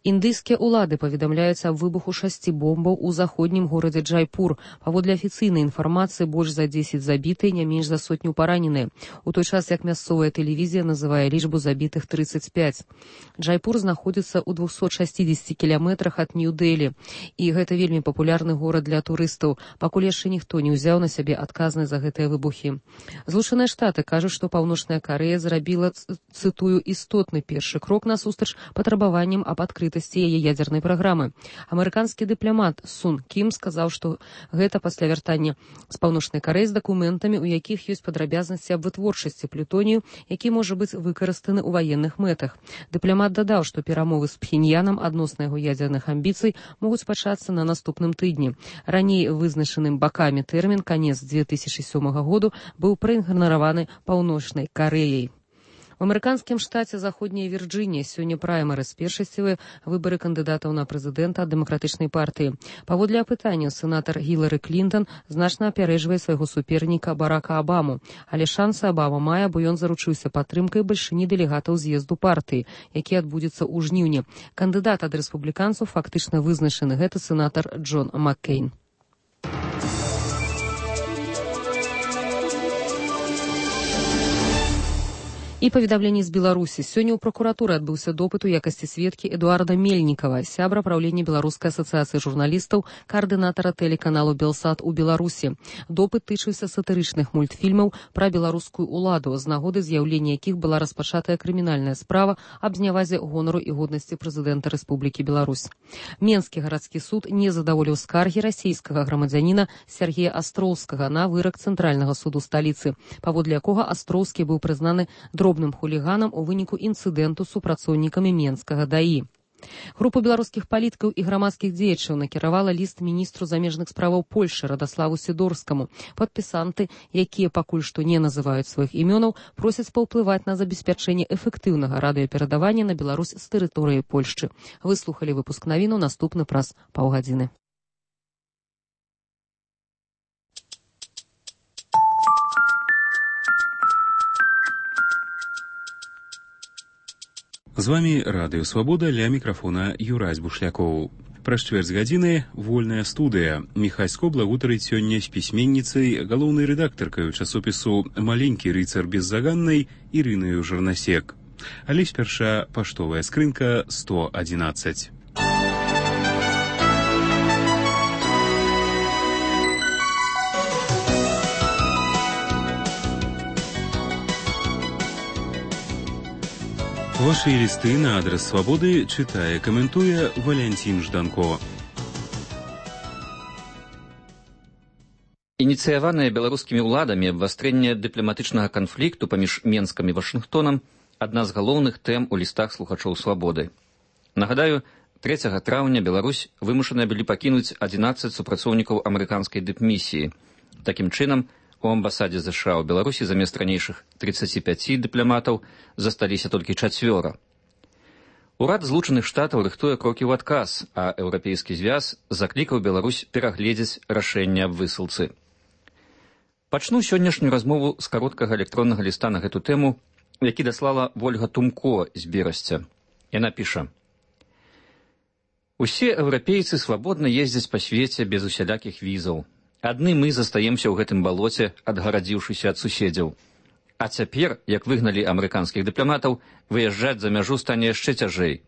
Індыйскія ўлады паведамляюць аб выбуху 6 бомбаў у заходнім горадзе Джайпур. Паводле афіцыйнай інфармацыі больш за 10 забітыя, не менш за сотню параненыя. У той час, як мясцовая тэлевізія называе лічбу забітых 35. Джайпур знаходзіцца ў 260 кіламетрах ад Нью-Дэлі, і гэта вельмі папулярны горад для турыстаў, пакуль яшчэ ніхто не ўзяў на сябе адказнасць за гэтыя выбухі. Злучаныя Штаты кажуць, што Паўночная Карэя зрабіла, цытую, істотны першы крок насустрач патрабаванням аб адкрытасці яе ядзернай праграмы. Амерыканскі дыпламат Сун Кім сказаў, што гэта пасля вяртання з Паўночнай Карэі з дакументамі, у якіх ёсць падрабязнасці аб вытворчасці плютонію, які можа быць выкарыстаны ў ваенных мэтах. Дыпламат дадаў, што перамовы з Пхеньянам адносна яго ядзерных амбіцый могуць пачацца на наступным тыдні. Раней вызначаным бакамі тэрмін канец 2007 году быў праігнараваны Паўночнай Карэяй. У амерыканскім штаце Заходняя Вірджынія сёння праймерыз, першасцевыя выбары кандыдатаў на прэзідэнта ад дэмакратычнай партыі. Паводле апытання сенатар Гілары Клінтон значна апярэджвае свайго суперніка Барака Абаму, але шансы Абама мае, бо ён заручыўся падтрымкай бальшыні дэлегатаў з'езду партыі, які адбудзецца ў жніўні. Кандыдат ад рэспубліканцаў фактычна вызначаны, гэта сенатар Джон Маккейн. І паведамленне з Беларусі. Сёння ў пракуратуры адбыўся допыт у якасці сведкі Эдуарда Мельнікава, сябра правлення Беларускай асацыяцыі журналістаў, каардынатара тэлеканалу Белсат у Беларусі. Допыт тычыўся сатырычных мультфільмаў пра беларускую ўладу, з нагоды з'яўлення якіх была распачатая крымінальная справа аб зняwaзе гонару і годнасці прэзідэнта Рэспублікі Беларусь. Менскі гарадскі суд не задаволіў скаргі расійскага грамадзяніна Сергея Астроўскага на вырак Цэнтральнага суду сталіцы, паводле якога Астроўскі быў прызнаны дробным хуліганам у выніку інцыдэнту з супрацоўнікамі Менскага ДАІ. Група беларускіх палітыкаў і грамадскіх дзеячаў накіравала ліст міністру замежных справаў Польшчы Радаславу Сідорскаму. Падпісанты, якія пакуль што не называюць сваіх імёнаў, просяць паўплываць на забеспячэнне эфектыўнага радыёперадавання на Беларусь з тэрыторыі Польшчы. Выслухалі выпуск навіну, наступны праз паўгадзіны. З вами радыё «Свабода», ля мікрафона Юрась Бушлякоў. Праз чвэрць гадзіны вольная студыя. Міхасько благутарыць сёння з пісьменніцай, галоўнай рэдактаркаю часопісу «Маленькі рыцар беззаганнай» Ірынаю Жарнасек. Але спярша паштовая скрынка 111. Ваши листы на адрес «Свободы» читая, комментуя Валентин Жданко. Ініцыяванае беларускімі ўладамі абвастрэнне дыпламатычнага канфлікту паміж Менскам і Вашынгтонам адна з галоўных тэм у лістах слухачоў «Свабоды». Нагадаю, 3 траўня Беларусь вымушаная былі пакінуць 11 супрацоўнікаў амерыканскай дыпмісіі. Такім чынам, у амбасадзе США ў Беларусі замест ранейшых 35 дыпламатаў засталіся толькі 4. Урад Злучаных Штатаў рыхтуе крокі ў адказ, а Еўрапейскі звяз заклікаў Беларусь перагледзець рашэнне аб высылцы. Пачну сённяшнюю размову з кароткага электроннага ліста на гэту тэму, які даслала Вольга Тумко з Берасця. Яна піша: «Усе еўрапейцы свабодна ездзяць па свеце без усялякіх візаў. Адны мы застаемся ў гэтым балоце, адгарадзіўшыся ад суседзяў. А цяпер, як выгналі амерыканскіх дыпламатаў, выязджаць за мяжу стане яшчэ цяжэй.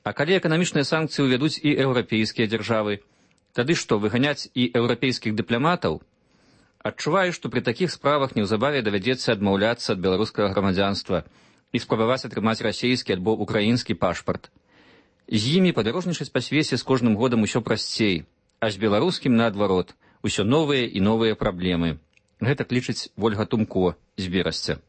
А калі эканамічныя санкцыі ўвядуць і еўрапейскія дзяржавы, тады што, выганяць і еўрапейскіх дыпламатаў? Адчуваю, што пры такіх справах неўзабаве давядзецца адмаўляцца ад беларускага грамадзянства і спрабаваць атрымаць расейскі альбо украінскі пашпарт. З імі падарожнічаць па свеце з кожным годам усё прасцей, а з беларускім наадварот, усё новыя і новыя праблемы. Гэта лічыць Вольга Тумко з Берасця.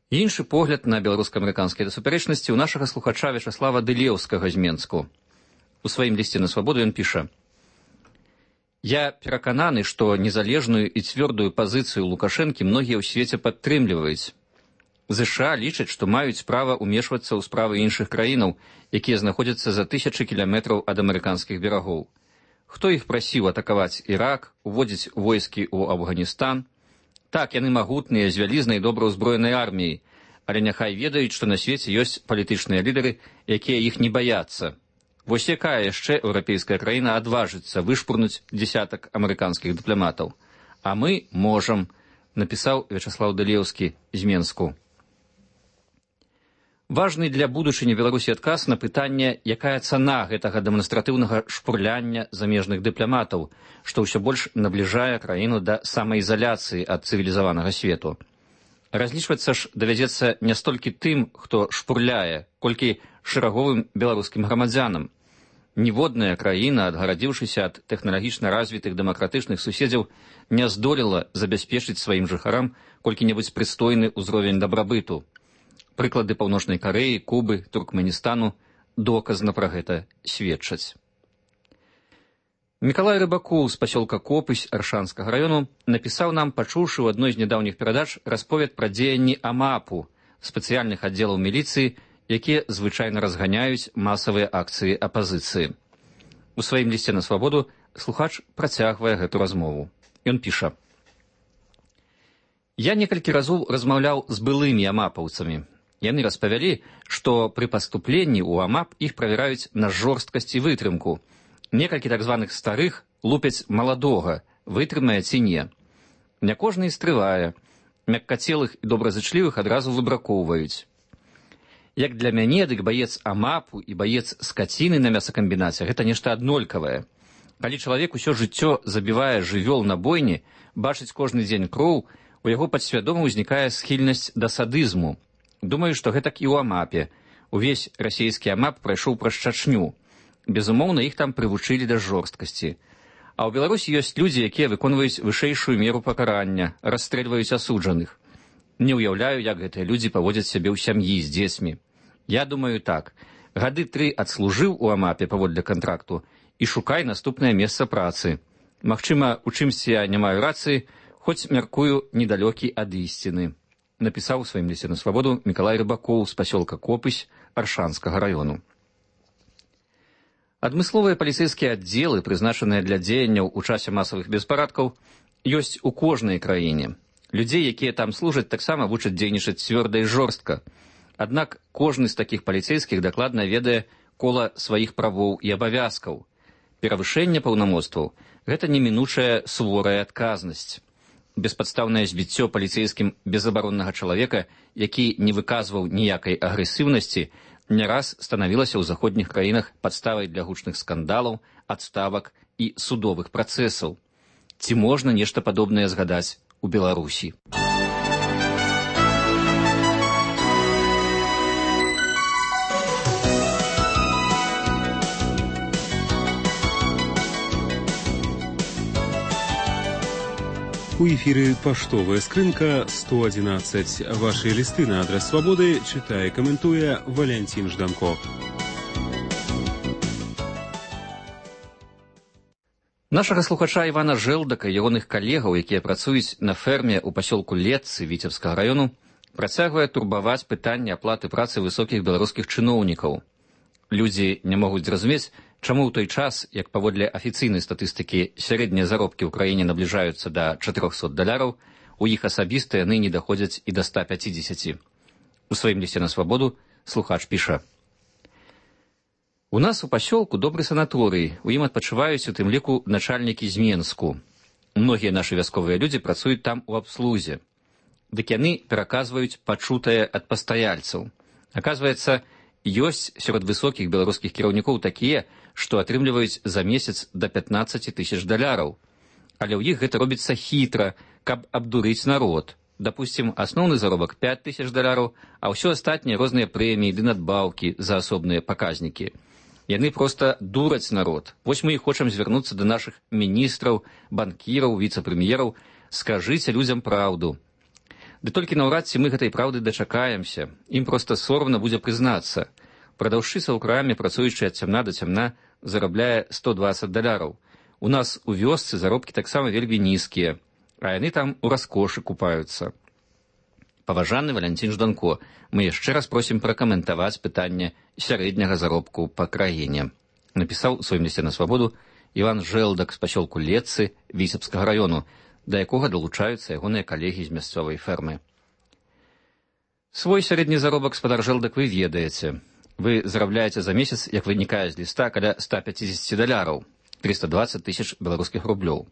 Іншы погляд на беларуска-амерыканскія супярэчнасці ў нашага слухача Вячаслава Дылеўскага з Менску. У сваім лісце на свабоду ён піша: «Я перакананы, што незалежную і цвёрдую пазіцыю Лукашэнкі многія ў свеце падтрымліваюць. ЗША лічаць, што маюць права ўмешвацца ў справы іншых краінаў, якія знаходзяцца за тысячы кіламетраў ад амерыканскіх берагоў. Хто іх прасіў атакаваць Ірак, уводзіць войскі ў Афганістан? Так, яны магутныя, з вялізнай добра ўзброенай арміяй, але няхай ведаюць, што на свеце ёсць палітычныя лідары, якія іх не баяцца. Вось якая яшчэ еўрапейская краіна адважыцца вышпурнуць дзесятак амерыканскіх дыпламатаў? А мы можам», напісаў Вячаслаў Дылеўскі з Менску. Важны для будучыні Беларусі адказ на пытанне, якая цана гэтага дэманстратыўнага шпурляння замежных дыпламатаў, што ўсё больш набліжае краіну да самаізаляцыі ад цывілізаванага свету. Разлічвацца ж давядзецца не столькі тым, хто шпурляе, колькі шэраговым беларускім грамадзянам. Ніводная краіна, адгарадзіўшыся ад тэхналагічна развітых дэмакратычных суседзяў, не здолела забяспечыць сваім жыхарам колькі-небудзь прыстойны ўзровень дабрабыту. Прыклады Паўночнай Карэі, Кубы, Туркменістану доказна пра гэта сведчаць. Мікалай Рыбакоў з пасёлка Копысь Аршанскага раёну напісаў нам, пачуўшы ў адной з нядаўніх перадач расповед пра дзеянні АМАПу, спецыяльных аддзелаў міліцыі, якія звычайна разганяюць масавыя акцыі апазіцыі. У сваім лісце на свабоду слухач працягвае гэту размову. Ён піша: «Я некалькі разоў размаўляў з былымі амапаўцамі. Яны распавялі, што пры паступленні ў АМАП іх правяраюць на жорсткасць і вытрымку. Некалькі так званых старых лупяць маладога, вытрымае ці не. Не кожны і стрывае. Мяккацелых і добразычлівых адразу выбракоўваюць. Як для мяне, дык баец АМАПу і баец скаціны на мясакамбінаце гэта нешта аднолькавае. Калі чалавек усё жыццё забівае жывёл на бойні, бачыць кожны дзень кроў, у яго падсвядома ўзнікае схільнасць да садызму. Думаю, што гэтак і ў АМАПе. Увесь расійскі АМАП прайшоў праз Чачню. Безумоўна, іх там прывучылі да жорсткасці. А ў Беларусі ёсць людзі, якія выконваюць вышэйшую меру пакарання, расстрэльваюць асуджаных. Не ўяўляю, як гэтыя людзі паводзяць сябе ў сям'і з дзецьмі. Я думаю так, гады 3 адслужыў у АМАПе паводле кантракту і шукай наступнае месца працы. Магчыма, у чымсьці я не маю рацыі, хоць мяркую недалёкі ад ісціны», напісаў у сваім лісце на свабоду Мікалай Рыбакоў з пасёлка Копысь Аршанскага раёну. Адмысловыя паліцэйскія аддзелы, прызначаныя для дзеянняў у часе масавых беспарадкаў, ёсць у кожнай краіне. Людзей, якія там служаць, таксама вучаць дзейнічаць цвёрда і жорстка. Аднак кожны з такіх паліцэйскіх дакладна ведае кола сваіх правоў і абавязкаў. Перавышэнне паўнамоцтваў – гэта немінучая суворая адказнасць. Беспадстаўнае збіццё паліцэйскім безабароннага чалавека, які не выказваў ніякай агрэсіўнасці, не раз станавілася ў заходніх краінах падставай для гучных скандалаў, адставак і судовых працэсаў. Ці можна нешта падобнае згадаць у Беларусі? У эфіры паштовая скрынка 111. Ваши лісты на адрес свабоды чытае і каментуе Валянцін Жданко. Нашага слухача Івана Жэлдака і ягоных калегаў, якія працуюць на ферме ў пасёлку Летцы Віцебскага раёну, працягвае турбаваць пытанне аплаты працы высокіх беларускіх чыноўнікаў. Людзі не могуць зразумець, Чаму ў той час, як паводле афіцыйнай статыстыкі сярэднія заробкі ў краіне набліжаюцца да $400, у іх асабіста яны не даходзяць і да 150. У сваім лісце на свабоду слухач піша: «У нас у пасёлку добры санаторый, у ім адпачываюць у тым ліку начальнікі з Менску. Многія нашы вясковыя людзі працуюць там у абслузе. Дык яны пераказваюць пачутае ад пастаяльцаў. Аказваецца, ёсць сярод высокіх беларускіх кіраўнікоў такія, што атрымліваюць за месяц да $15 000. Але ў іх гэта робіцца хітра, каб абдурыць народ. Дапусцім, асноўны заробак $5000, а ўсё астатняе розныя прэміі ды надбаўкі за асобныя паказнікі. Яны проста дураць народ. Вось мы і хочам звярнуцца да нашых міністраў, банкіраў, віцэ-прэм'ераў. Скажыце людзям праўду. Ды толькі наўрад ці мы гэтай праўды дачакаемся. Ім проста сорамна будзе прызнацца. Прадаўшчыца ў краме, працуючы ад цямна да цямна, зарабляе $120. У нас у вёсцы заробкі таксама вельмі нізкія, а яны там у раскошы купаюцца. Паважаны Валянцін Жданко, мы яшчэ раз просім пракаментаваць пытанне сярэдняга заробку па краіне. Напісаў у сваім лісце на свабоду Іван Жэлдак з пасёлку Летцы Віцебскага раёну, да якога далучаюцца ягоныя калегі з мясцовай фермы. Свой сярэдні заробак, спадар Жэлдак, вы ведаеце. Вы зарабляеце за месяц, як вынікае з ліста, каля $150, 320 000 беларускіх рублёў.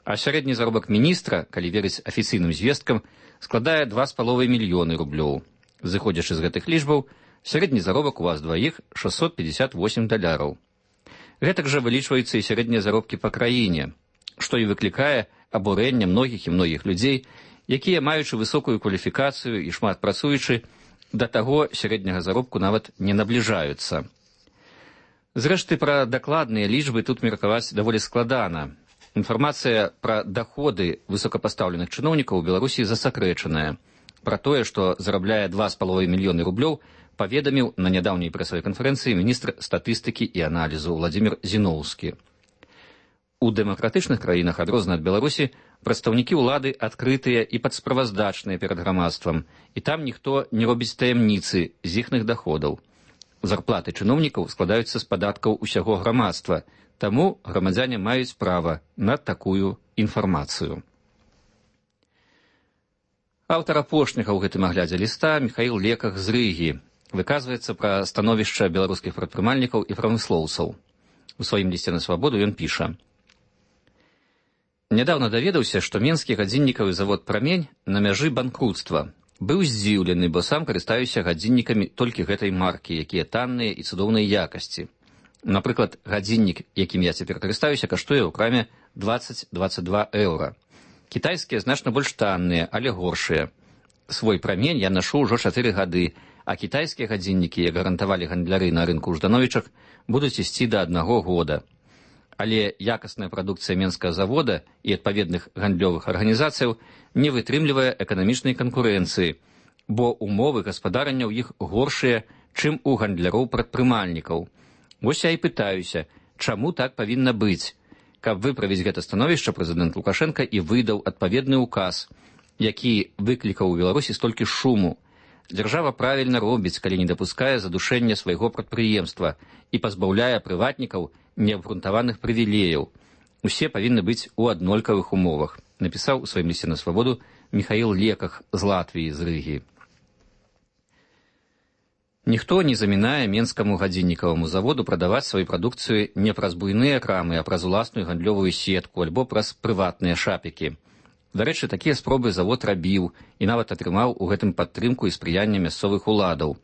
А сярэдні заробак міністра, калі верыць афіцыйным звесткам, складае 2,5 мільёны рублёў. Зыходзячы з гэтых лічбаў, сярэдні заробак у вас дваіх $658. Гэтак жа вылічваюцца і сярэднія заробкі па краіне, што і выклікае абурэнне многіх і многіх людзей, якія, маючы высокую кваліфікацыю і шмат працуючы, да таго сярэдняга заробку нават не набліжаюцца. Зрэшты, пра дакладныя лічбы тут меркаваць даволі складана. Інфармацыя пра даходы высокапастаўленых чыноўнікаў у Беларусі засакрэчаная. Пра тое, што зарабляе 2,5 мільёны рублёў, паведаміў на нядаўняй прэсавай канферэнцыі міністр статыстыкі і аналізу Владзімір Зіноўскі. У дэмакратычных краінах, адрозна ад Беларусі, прадстаўнікі ўлады адкрытыя і падсправаздачныя перад грамадствам, і там ніхто не робіць таямніцы з іхных даходаў. Зарплаты чыноўнікаў складаюцца з падаткаў усяго грамадства, таму грамадзяне маюць права на такую інфармацыю. Аўтар апошняга ў гэтым аглядзе ліста Міхаіл Леках з Рыгі выказваецца пра становішча беларускіх прадпрымальнікаў і прамыслоўцаў. У сваім лісце на свабоду ён піша: «Нядаўна даведаўся, што менскі гадзіннікавы завод «Прамень» на мяжы банкруцтва. Быў здзіўлены, бо сам карыстаюся гадзіннікамі толькі гэтай маркі, якія танныя і цудоўнай якасці. Напрыклад, гадзіннік, якім я цяпер карыстаюся, каштуе ў краме €20-22. Кітайскія значна больш танныя, але горшыя. Свой «Прамень» я нашу ўжо 4 гады, а кітайскія гадзіннікі, як гарантавалі гандляры на рынку ў Ждановічах, будуць ісці да 1 года. Але якасная прадукцыя менскага завода і адпаведных гандлёвых арганізацыяў не вытрымлівае эканамічнай канкурэнцыі, бо умовы гаспадарання ў іх горшыя, чым у гандляроў-прадпрымальнікаў. Вось я і пытаюся, чаму так павінна быць? Каб выправіць гэта становішча, прэзідэнт Лукашенка і выдаў адпаведны ўказ, які выклікаў у Беларусі столькі шуму. Дзяржава правільна робіць, калі не дапускае задушэння свайго прадпрыемства і пазбаўляе прыватнікаў неабгрунтаваных прывілеяў. Усе павінны быць у аднолькавых умовах, напісаў у сваім лісце на свабоду Міхаіл Леках з Латвіі, з Рыгі. Ніхто не замінае менскаму гадзіннікаваму заводу прадаваць сваю прадукцыю не праз буйныя крамы, а праз уласную гандлёвую сетку альбо праз прыватныя шапікі. Дарэчы, такія спробы завод рабіў і нават атрымаў у гэтым падтрымку і спрыянне мясцовых уладаў.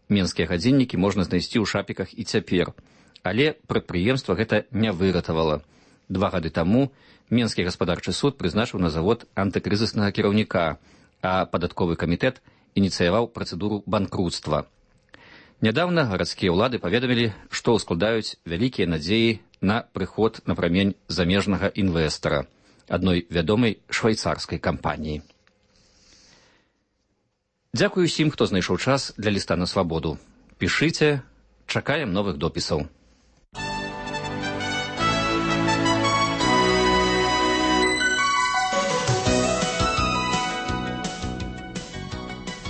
Менскія гадзіннікі можна знайсці ў шапіках і цяпер. Але прадпрыемства гэта не выратавала. 2 гады таму Менскі гаспадарчы суд прызначыў на завод антыкрызіснага кіраўніка, а падатковы камітэт ініцыяваў працэдуру банкруцтва. Нядаўна гарадскія ўлады паведамілі, што ўскладаюць вялікія надзеі на прыход на «Прамень» замежнага інвестара, адной вядомай швейцарскай кампаніі. Дзякую усім, хто знайшоў час для ліста на свабоду. Пішыце, чакаем новых допісаў.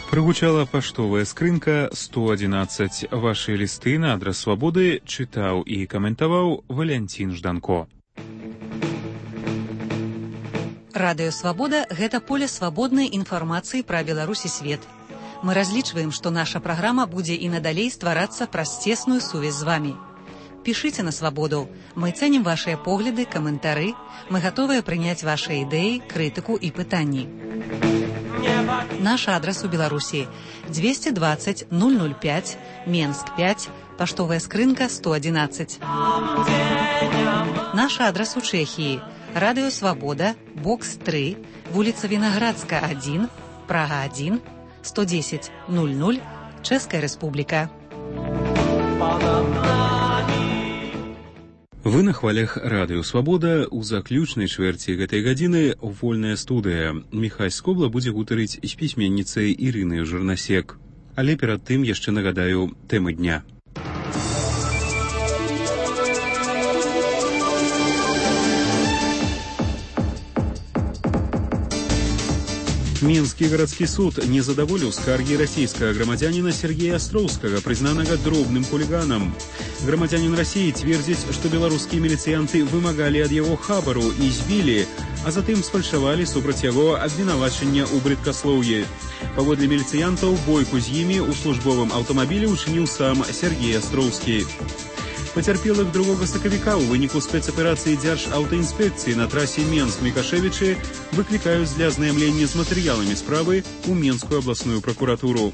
Прыгучала паштовая скрынка 111. Ваши листы на адрес Свабоды чытаў і каментаваў Валянцін Жданко. Радыё Свабода – гэта поле свабоднай інфармацыі пра Беларусь і свет. Мы разлічваем, што наша праграма будзе і надалей стварацца праз цесную сувязь з вамі. Пішыце на Свабоду. Мы цэнім вашыя погляды, каментары. Мы гатовыя прыняць вашыя ідэі, крытыку і пытанні. Наш адрес у Беларусі 220 005, Менск 5, паштовая скрынка 111. Наш адрес у Чэхіі Радыё Свабода, бокс 3, вуліца Вінаградска 1, Прага 1, 110 00, Чэшская Рэспубліка. Вы на хвалях Радыё Свабода. У заключнай чвэрці гэтай гадзіны вольная студыя. Міхась Скобла будзе гутарыць з пісьменніцай Ірынай Жырнасек. Але перад тым яшчэ нагадаю тэмы дня. Мінскі гарадскі суд не задаволіў скаргі расійскага грамадзяніна Сергея Астроўскага, прызнанага дробным хуліганам. Грамадзянін Расіі цвердзіць, што беларускія міліцыянты вымагалі ад яго хабару і збілі, а затым сфальшавалі супраць яго абвінавачання ў брыдкаслоўі. Паводле міліцыянтаў, бойку з імі ў службовым аўтамабілі ўчыніў сам Сергей Астроўскі. Пацярпелых 2 сакавіка ў выніку спецаперацыі Дзяржаўтаінспекцыі на трасе Менск-Мікашевічы выклікаюць для азнаямлення з матэрыяламі справы ў Менскую абласную пракуратуру.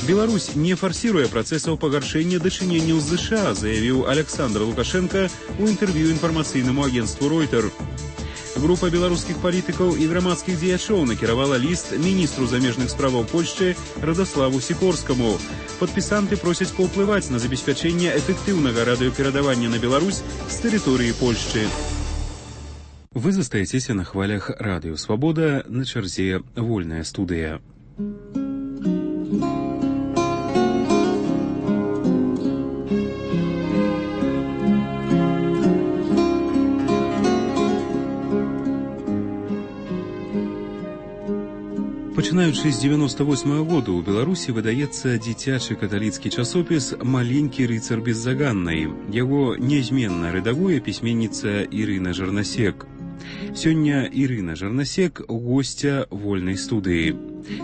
Беларусь не фарсіруе працэсаў пагаршэння дачыненняў з ЗША, заявіў Александр Лукашенко ў інтэрв'ю інфармацыйнаму агенцтву Reuters. Група беларускіх палітыкаў і грамадскіх дзеячоў накіравала ліст міністру замежных справаў Польшчы Радаславу Сікорскаму. Падпісанты просяць паўплываць на забеспячэнне эфектыўнага радыёперадавання на Беларусь з тэрыторыі Польшчы. Вы застаецеся на хвалях Радыё Свабода, на чарзе вольная студыя. Пачынаючы з 98-го году ў Беларусі выдаецца дзіцячы каталіцкі часопіс «Маленькі рыцар беззаганнай». Яго нязменна рэдагуе пісьменніца Ірына Жырнасек. Сёння Ірына Жырнасек – госця вольнай студыі.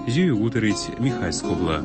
З ёю гутарыць Міхась Скобла.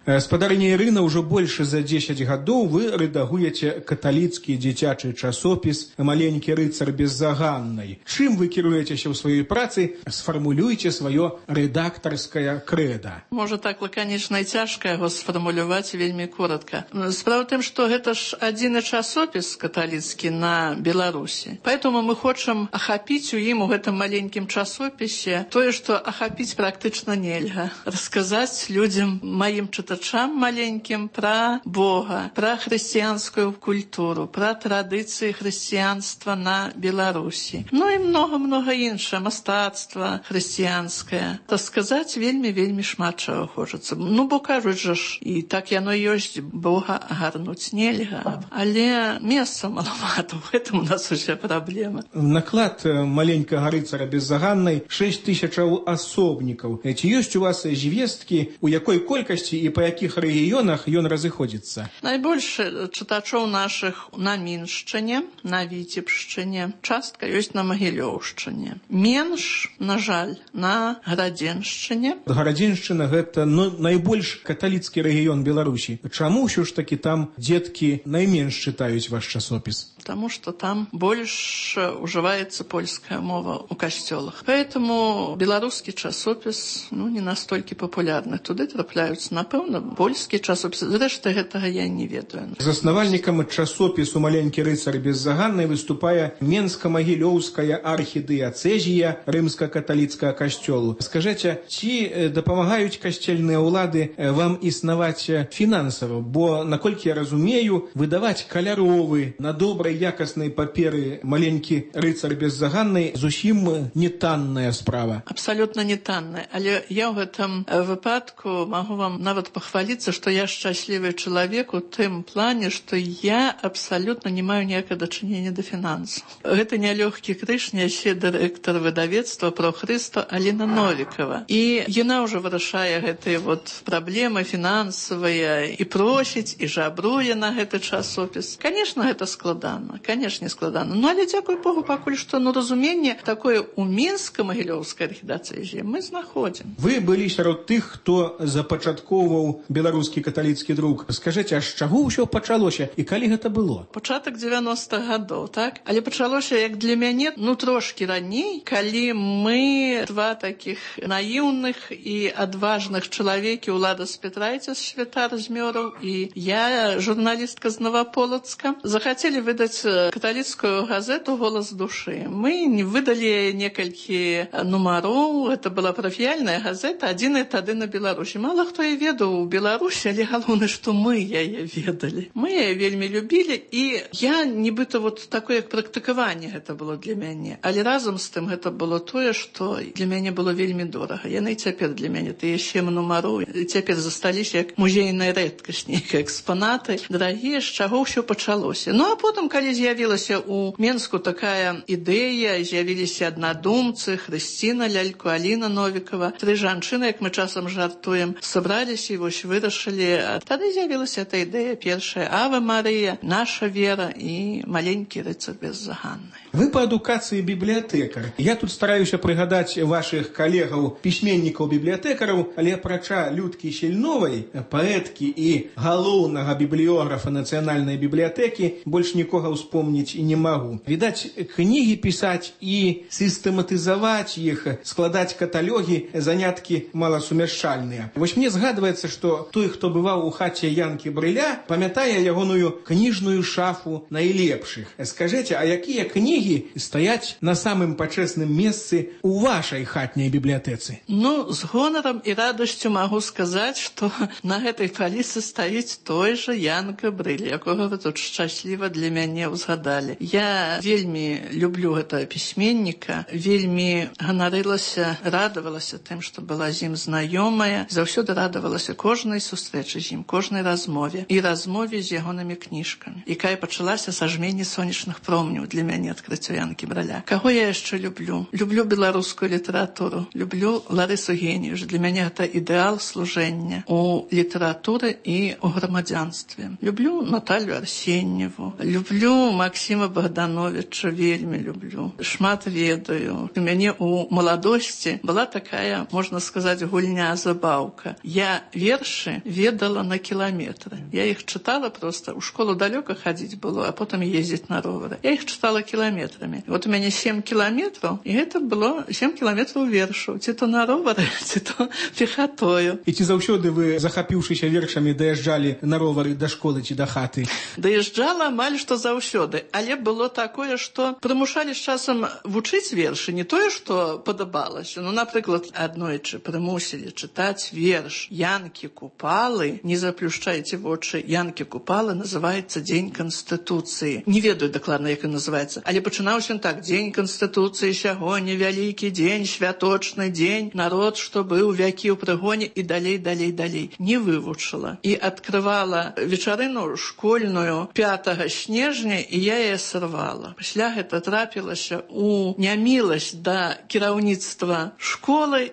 Спадарыня Ірына, ўжо больш за 10 гадоў вы рэдагуеце каталіцкі дзіцячы часопіс «Маленькі рыцар беззаганнай». Чым вы кіруецеся ў сваёй працы? Сфармулюйце сваё рэдактарскае крэда. Можа, так лаканічна і цяжка яго сфармуляваць вельмі коротка. Справа ў тым, што гэта ж адзіны часопіс каталіцкі на Беларусі. Поэтому мы хочам ахапіць у ім, у гэтым маленькім часопісе, тое, што ахапіць практычна нельга. Расказаць людзям, маім чытачам маленьким про Бога, про христианскую культуру, про традиции христианства на Беларуси. Ну и много-много іншае, мастацтва христианскае. Так сказаць, вельмі шмат чаго хочацца. Ну, бо кажуць жа ж, і так яно ёсць, Бога агарнуць нельга. Але месца малавата, в этом у нас уся праблема. Наклад маленькага рыцара беззаганнай 6000 асобнікаў. Ці ёсць у вас звесткі, у якой колькасці і па якіх рэгіёнах ён разыходзіцца? Найбольш чытачоў нашых на Міншчыне, на Віцебшчыне, частка ёсць на Магілёўшчыне. Менш, на жаль, на Гарадзеншчыне. Гарадзеншчына гэта найбольш каталіцкі рэгіён Беларусі. Чаму ўсё ж такі там дзеткі найменш чытаюць ваш часопіс? Потому что там больше уживается польская мова у костелах. Поэтому белорусский часопис не настолько популярны. Туды трапляются, напэўна, польскія часопісы. Зрэшты, гэтага я не ведаю. Заснавальнікам часопісу «Маленькі рыцар беззаганнай» выступае Менска-Магілёўская архідыяцэзія рымска-каталіцкага касцёлу. Скажыце, ці дапамагаюць касцельныя ўлады вам існаваць фінансава? Бо, наколькі я разумею, выдаваць каляровы на добрай якаснай паперы «Маленькі рыцар беззаганнай» зусім не танная справа. Абсолютно не танная. Але я ў гэтым выпадку магу вам нават похвалиться, что я счастливый человек у тым плане, что я абсолютно не маю ніякага дачынення да фінансаў. Гэта нялёгкі крыж нясе дырэктар выдавецтва «Про Христо» Аліна Новікова. І яна ўжо вырашае гэтыя праблемы фінансавыя і просіць, і жабруе на гэты часопіс. Конечно, гэта складана, конечно, складана. Ну, але дзякуй Богу, пакуль што разуменне такое у Мінска-Магілёўскай архідыяцэзіі мы знаходзім. Вы былі сярод тых, хто запачаткоўваў беларускі каталіцкі друк. Скажыце, а з чаго ўсё пачалося і калі гэта было? Пачатак 90-х гадоў, так? Але пачалося, як для мяне, трошкі раней, калі мы два такіх наіўных і адважных чалавекі, Улада Спятрайця, святар з Мёраў, і я, журналістка з Новаполацка, захацелі выдаць каталіцкую газету «Голас душы». Мы выдалі некалькі нумароў, гэта была парафіяльная газета, адзіная тады на Беларусі. Мала хто яе ведаў у Беларусі, але галоўнае, што мы яе ведалі. Мы яе вельмі любілі, і я нібыта такое, як практыкаванне гэта было для мяне. Але разам з тым гэта было тое, што для мяне было вельмі дорага. Яны і цяпер для мяне, тыя 7 нумароў, цяпер засталіся як музейная рэдкасць, нейкія экспанаты, дарагія, з чаго ўсё пачалося. Ну, а потым, калі з'явілася ў Менску такая ідэя, з'явіліся аднадумцы, Хрысціна Лялько, Аліна Новікова, 3 жанчыны, як мы часам жартуем, сабраліся і вырашылі. Тады з'явілася эта ідэя першая «Аве Марыя», «Наша вера» і «Маленькі рыцар беззаганны». Вы па адукацыі бібліятэкар. Я тут стараюся прыгадаць вашых калегаў, пісьменнікаў-бібліятэкараў, але апрача Людкі Сільновай, паэткі і галоўнага бібліёграфа нацыянальнай бібліятэкі, больш нікога ўспомніць і не магу. Відаць, кнігі пісаць і сістэматызаваць іх, складаць каталогі, заняткі маласумяшчальныя. Вось мне згадваецца, што той, хто бываў у хаце Янкі Брыля, памятае ягоную кніжную шафу найлепшых. Скажыце, а якія кнігі стаяць на самым пачэсным месцы у вашай хатняй бібліятэцы? Ну, з гонарам і радасцю магу сказаць, што на гэтай паліцы стаіць той жа Янка Брыль, якога вы тут шчасліва для мяне ўзгадалі. Я вельмі люблю гэтага пісьменніка, вельмі ганарылася, радавалася тым, што была з ім знаёмая, заўсёды радавалася кожнай сустрэчы з ім, кожнай размове і размове з ягонымі кніжкамі, якая пачалася са жмені сонечных промняў для мяне адкрыццё Янкі Браля. Каго я яшчэ люблю? Люблю беларускую літаратуру, люблю Ларысу Геніюш. Для мяне гэта ідэал служэння у літаратуры і у грамадзянстве. Люблю Наталью Арсеньеву, люблю Максіма Богдановича, вельмі люблю. Шмат ведаю. У мяне у маладосці была такая, можна сказаць, гульня-забаўка. Я вершы ведала на кіламетры. Я іх чытала просто. У школу далёка хадзіць было, а потым ездзіць на ровары. Я іх чытала кіламетрамі. Вот у мяне 7 кіламетраў, і гэта было 7 кіламетраў вершаў. Ці то на ровары, ці то пехатою. І ці заўсёды вы, захапіўшыся вершамі, даязджалі на ровары да школы ці да хаты? Даязджала амаль што заўсёды. Але было такое, што прымушалі з часам вучыць вершы. Не тое, што падабалася. Ну, напрыклад, аднойчы прымусілі чытаць верш Янкі Купалы. Не заплюшчайце вочы. Янкі Купалы называецца «Дзень Канстытуцыі». Не ведаю дакладна, як ён называецца. Але пачынаўся он так: «Дзень Канстытуцыі сягоння, вялікі дзень, святочны дзень, народ, што быў вякі ў прыгоне» і далей. Не вывучыла. І адкрывала вечарыну школьную 5 снежня, і я яе сарвала. Пасля гэта трапілася ў няміласць да кіраўніцтва школы.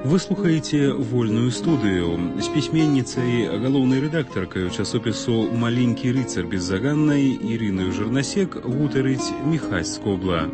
Вы слухаеце вольную студыю з пісьменніцай, галоўнай рэдактаркай часопісу «Маленькі рыцар беззаганнай» Ірынаю Жырнасек гутарыць Міхась Скобла.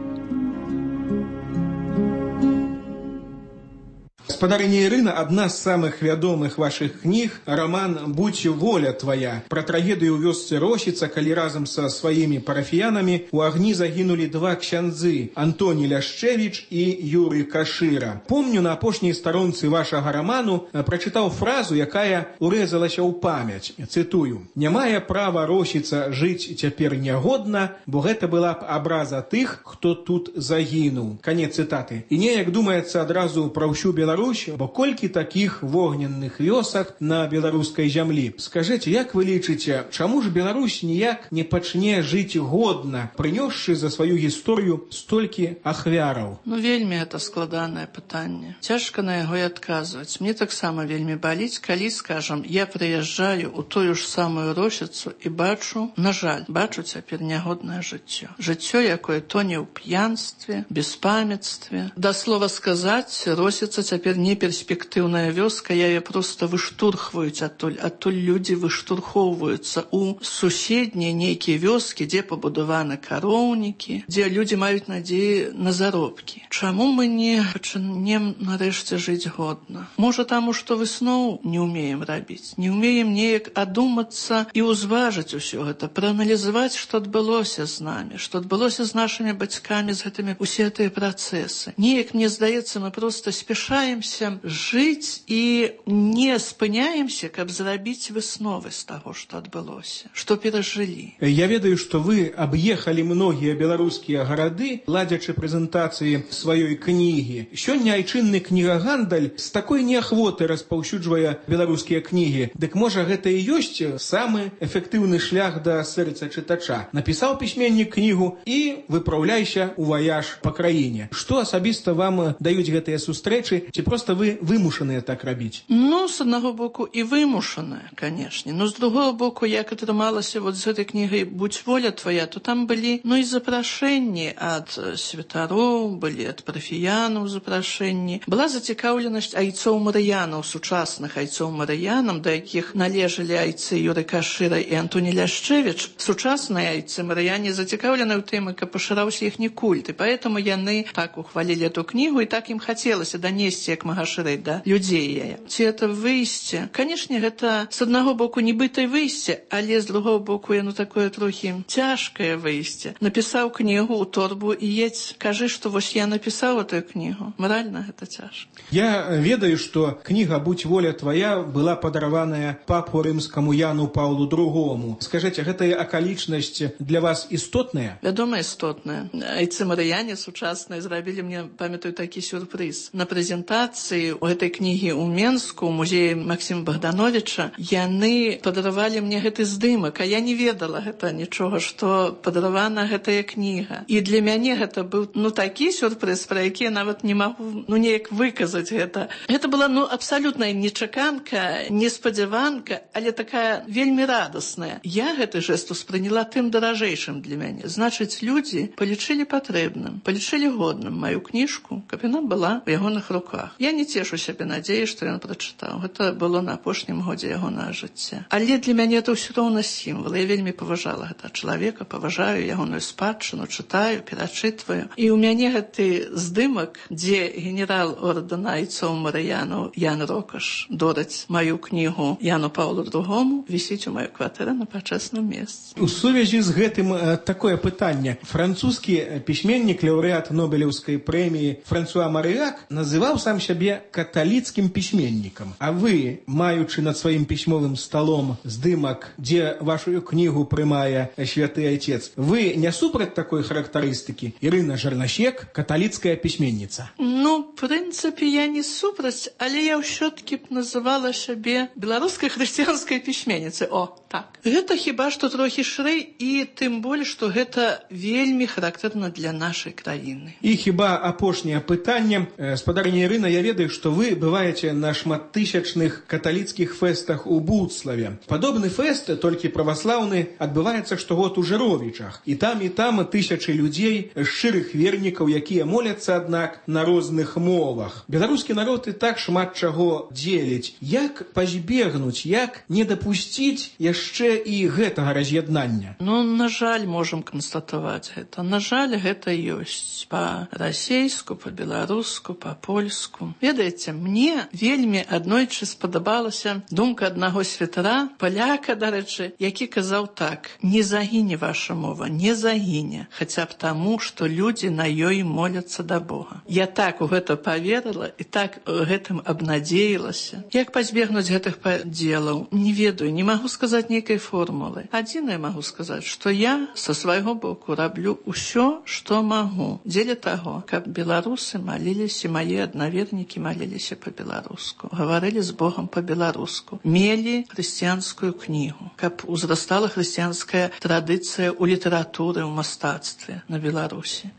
Гаспадарыня Ірына, адна з самых вядомых вашых кніг, раман «Будь воля твая», пра трагедыю ў вёсцы Росіца, калі разам са сваімі парафіянамі у агні загінулі 2 ксяндзы – Антоні Ляшчэвіч і Юрый Кашыра. Помню, на апошняй старонцы вашага раману прачытаў фразу, якая урэзалася ў памяць. Цытую: «Не мае права Росіца жыць цяпер нягодна, бо гэта была б абраза тых, хто тут загінуў». Канец цытаты. І неяк думаецца адразу пра ўсю Беларусь, Беларусь, бо колькі такіх вогненных вёсак на беларускай зямлі. Скажыце, як вы лічыце, чаму ж Беларусь ніяк не пачне жыць годна, прынёсшы за сваю гісторыю столькі ахвяраў? Ну, вельмі это складанае пытанне. Цяжка на яго і адказваць. Мне таксама вельмі баліць, калі, скажам, я прыязджаю ў тую ж самую Росіцу і бачу, на жаль, бачу цяпер нягоднае жыццё. Жыццё, якое тоне ў п'янстве, беспамятстве. Да слова сказаць, Росіца цяпер не перспектыўная вёска, яе проста выштурхваюць адтуль. Адтуль людзі выштурхоўваюцца ў суседнія нейкія вёскі, дзе пабудаваны кароўнікі, дзе людзі маюць надзеі на заробкі. Чаму мы не пачнем нарэшце жыць годна? Можа, таму, што высноў не ўмеем рабіць, не ўмеем неяк адумацца і ўзважыць усё гэта, прааналізаваць, што адбылося з намі, што адбылося з нашымі бацькамі, з гэтымі усе гэтыя працэсы. Неяк, мне здаецца, мы проста спяшаемся жыць і не спыняемся, каб зрабіць высновы з таго, што адбылося, што перажылі. Я ведаю, што вы аб'ехалі многія беларускія гарады, ладзячы прэзентацыі сваёй кнігі. Сёння айчынны кнігагандаль з такой неахвоты распаўсюджвае беларускія кнігі. Дык можа, гэта і ёсць самы эфектыўны шлях да сэрца чытача. Напісаў пісьменнік кнігу і выпраўляйся ў ваяж па краіне. Што асабіста вам даюць гэтыя сустрэчы, ці проста вы вымушаныя так рабіць? Ну, з аднаго боку і вымушаныя, канешне. Но з другого боку, як атрымалася вот з гэтай кнігай «Будь воля твоя», то там былі, ну, і запрашэнні ад святароў, былі ад парафіянаў запрашэнні. Была зацікаўленасць айцоў марыянаў, сучасных айцоў марыянам, да якіх належалі айцы Юры Кашыра і Антоні Ляшчевіч. Сучасныя айцы марыяне зацікаўлены ў тым, каб пашыраўся іхні культ, і поэтому яны так ухвалілі эту кнігу, і так ім хацелася данесці як мага шырэй да людзей яе. Ці это выйсце? Канешне, гэта з аднаго боку нібыта выйсце, але з другого боку яно такое трохі цяжкае выйсце. Напісаў кнігу ў торбу і едзь, кажы, што вось я напісаў эту кнігу. Маральна гэта цяжка. Я ведаю, што кніга «Будь воля твоя» была падараваная папу рымскаму Яну Паўлу II. Скажыце, гэтая акалічнасць для вас істотная? Вядома, істотная. Айцы марыяне сучасныя зрабілі мне, памятаю, такі сюрпрыз. На прэзентацыі ў гэтай кнігі ў Менску, у музеі Максіма Богдановича, яны падаравалі мне гэты здымак, а я не ведала гэта нічога, што падаравана гэтая кніга. І для мяне гэта быў, ну, такі сюрпрыз, пра які я нават не магу, ну, неяк выказаць гэта. Гэта была, ну, абсалютная нечаканка, неспадзяванка, але такая вельмі радасная. Я гэты жэст успрыняла тым даражэйшым для мяне. Значыць, людзі палічылі патрэбным, палічылі годным маю кніжку, каб яна была ў ягоных руках. Я не цешу сябе надзеі, што ён прачытаў. Гэта было на апошнім годзе ягонага жыцця. Але для мяне это ўсё роўна сімвал. Я вельмі паважала гэта чалавека, паважаю ягоную спадчыну, чытаю, перачытваю. І ў мяне гэты здымак, дзе генерал ордэна айцоў марыянаў Ян Рокаш додаць маю кнігу Яну Паўлу II, вісіць у маёй кватэры на пачэсным месцы. У сувязі з гэтым такое пытанне. Французскі пісьменнік, лаўрэат Нобелеўскай прэміі Франсуа Марыяк называў сам сябе каталіцкім пісьменнікам. А вы, маючы над сваім пісьмовым сталом здымак, дзе вашу кнігу прымае святы айцец, вы не супраць такой характарыстыкі? Ірына Жарнасек, каталіцкая пісьменніца. Ну, в прынцыпе, я не супраць, але я ўсё-ткі б называла сябе беларускай хрысціянскай пісьменніцай. О, так. Гэта хіба што трохі шырэй, і тым болей, што гэта вельмі характэрна для нашай краіны. І хіба апошняе пытанне. Спадарыня Ірына, я ведаю, што вы бываеце на шматтысячных каталіцкіх фэстах у Буцлаве. Падобны фэст, толькі праваслаўны, адбываецца штогод у Жыровічах. І там тысячы людзей, шчырых вернікаў, якія моляцца, аднак, на розных мовах. Беларускі народ і так шмат чаго дзеліць. Як пазбегнуць, як не дапусціць яшчэ і гэтага раз'яднання? Ну, на жаль, можам канстатаваць гэта. На жаль, гэта ёсць па-расейску, па-беларуску, па-польску. Ведаеце, мне вельмі аднойчы спадабалася думка аднаго святара, паляка, дарэчы, які казаў так: не загіне ваша мова, не загіне, хаця б таму, што людзі на ёй моляцца да Бога. Я так у гэта поверыла і так гэтым абнадзеілася. Як пазбегнуць гэтых падзелаў? Не ведаю, не магу сказаць нейкай формулы. Адзінае магу сказаць, што я са свайго боку раблю ўсё, што магу, дзеля таго, каб беларусы маліліся, мае аднавернікі маліліся па-беларуску, гаварылі з Богам па-беларуску, мелі хрысціянскую кнігу, каб узрастала хрысціянская традыцыя ў літаратуры, ў мастацтве на Беларусі.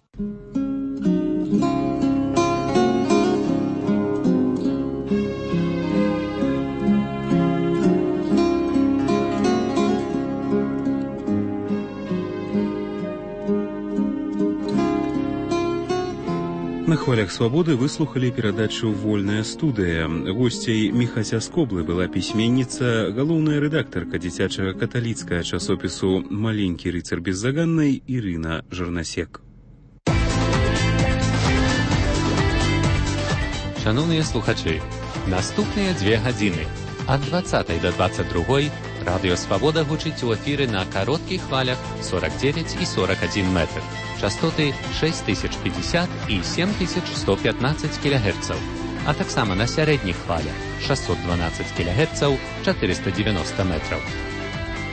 На хвалях свабоды выслухалі перадачу «Вольная студыя». Госцей Міхася Скоблы была пісьменніца, галоўная рэдактарка дзіцячага каталіцкага часопісу «Маленькі рыцар беззаганнай» Ірына Жарнасек. Шановныя слухачы, наступныя 2 гадзіны ад 20 до 22 Радыё Свабода гучыць у эфіры на кароткіх хвалях 49 і 41 метр. Частоты 6050 і 7115 кГц, а таксама на сярэдніх хвалях 612 кГц, 490 метраў.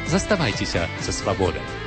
Заставайцеся са свабодай.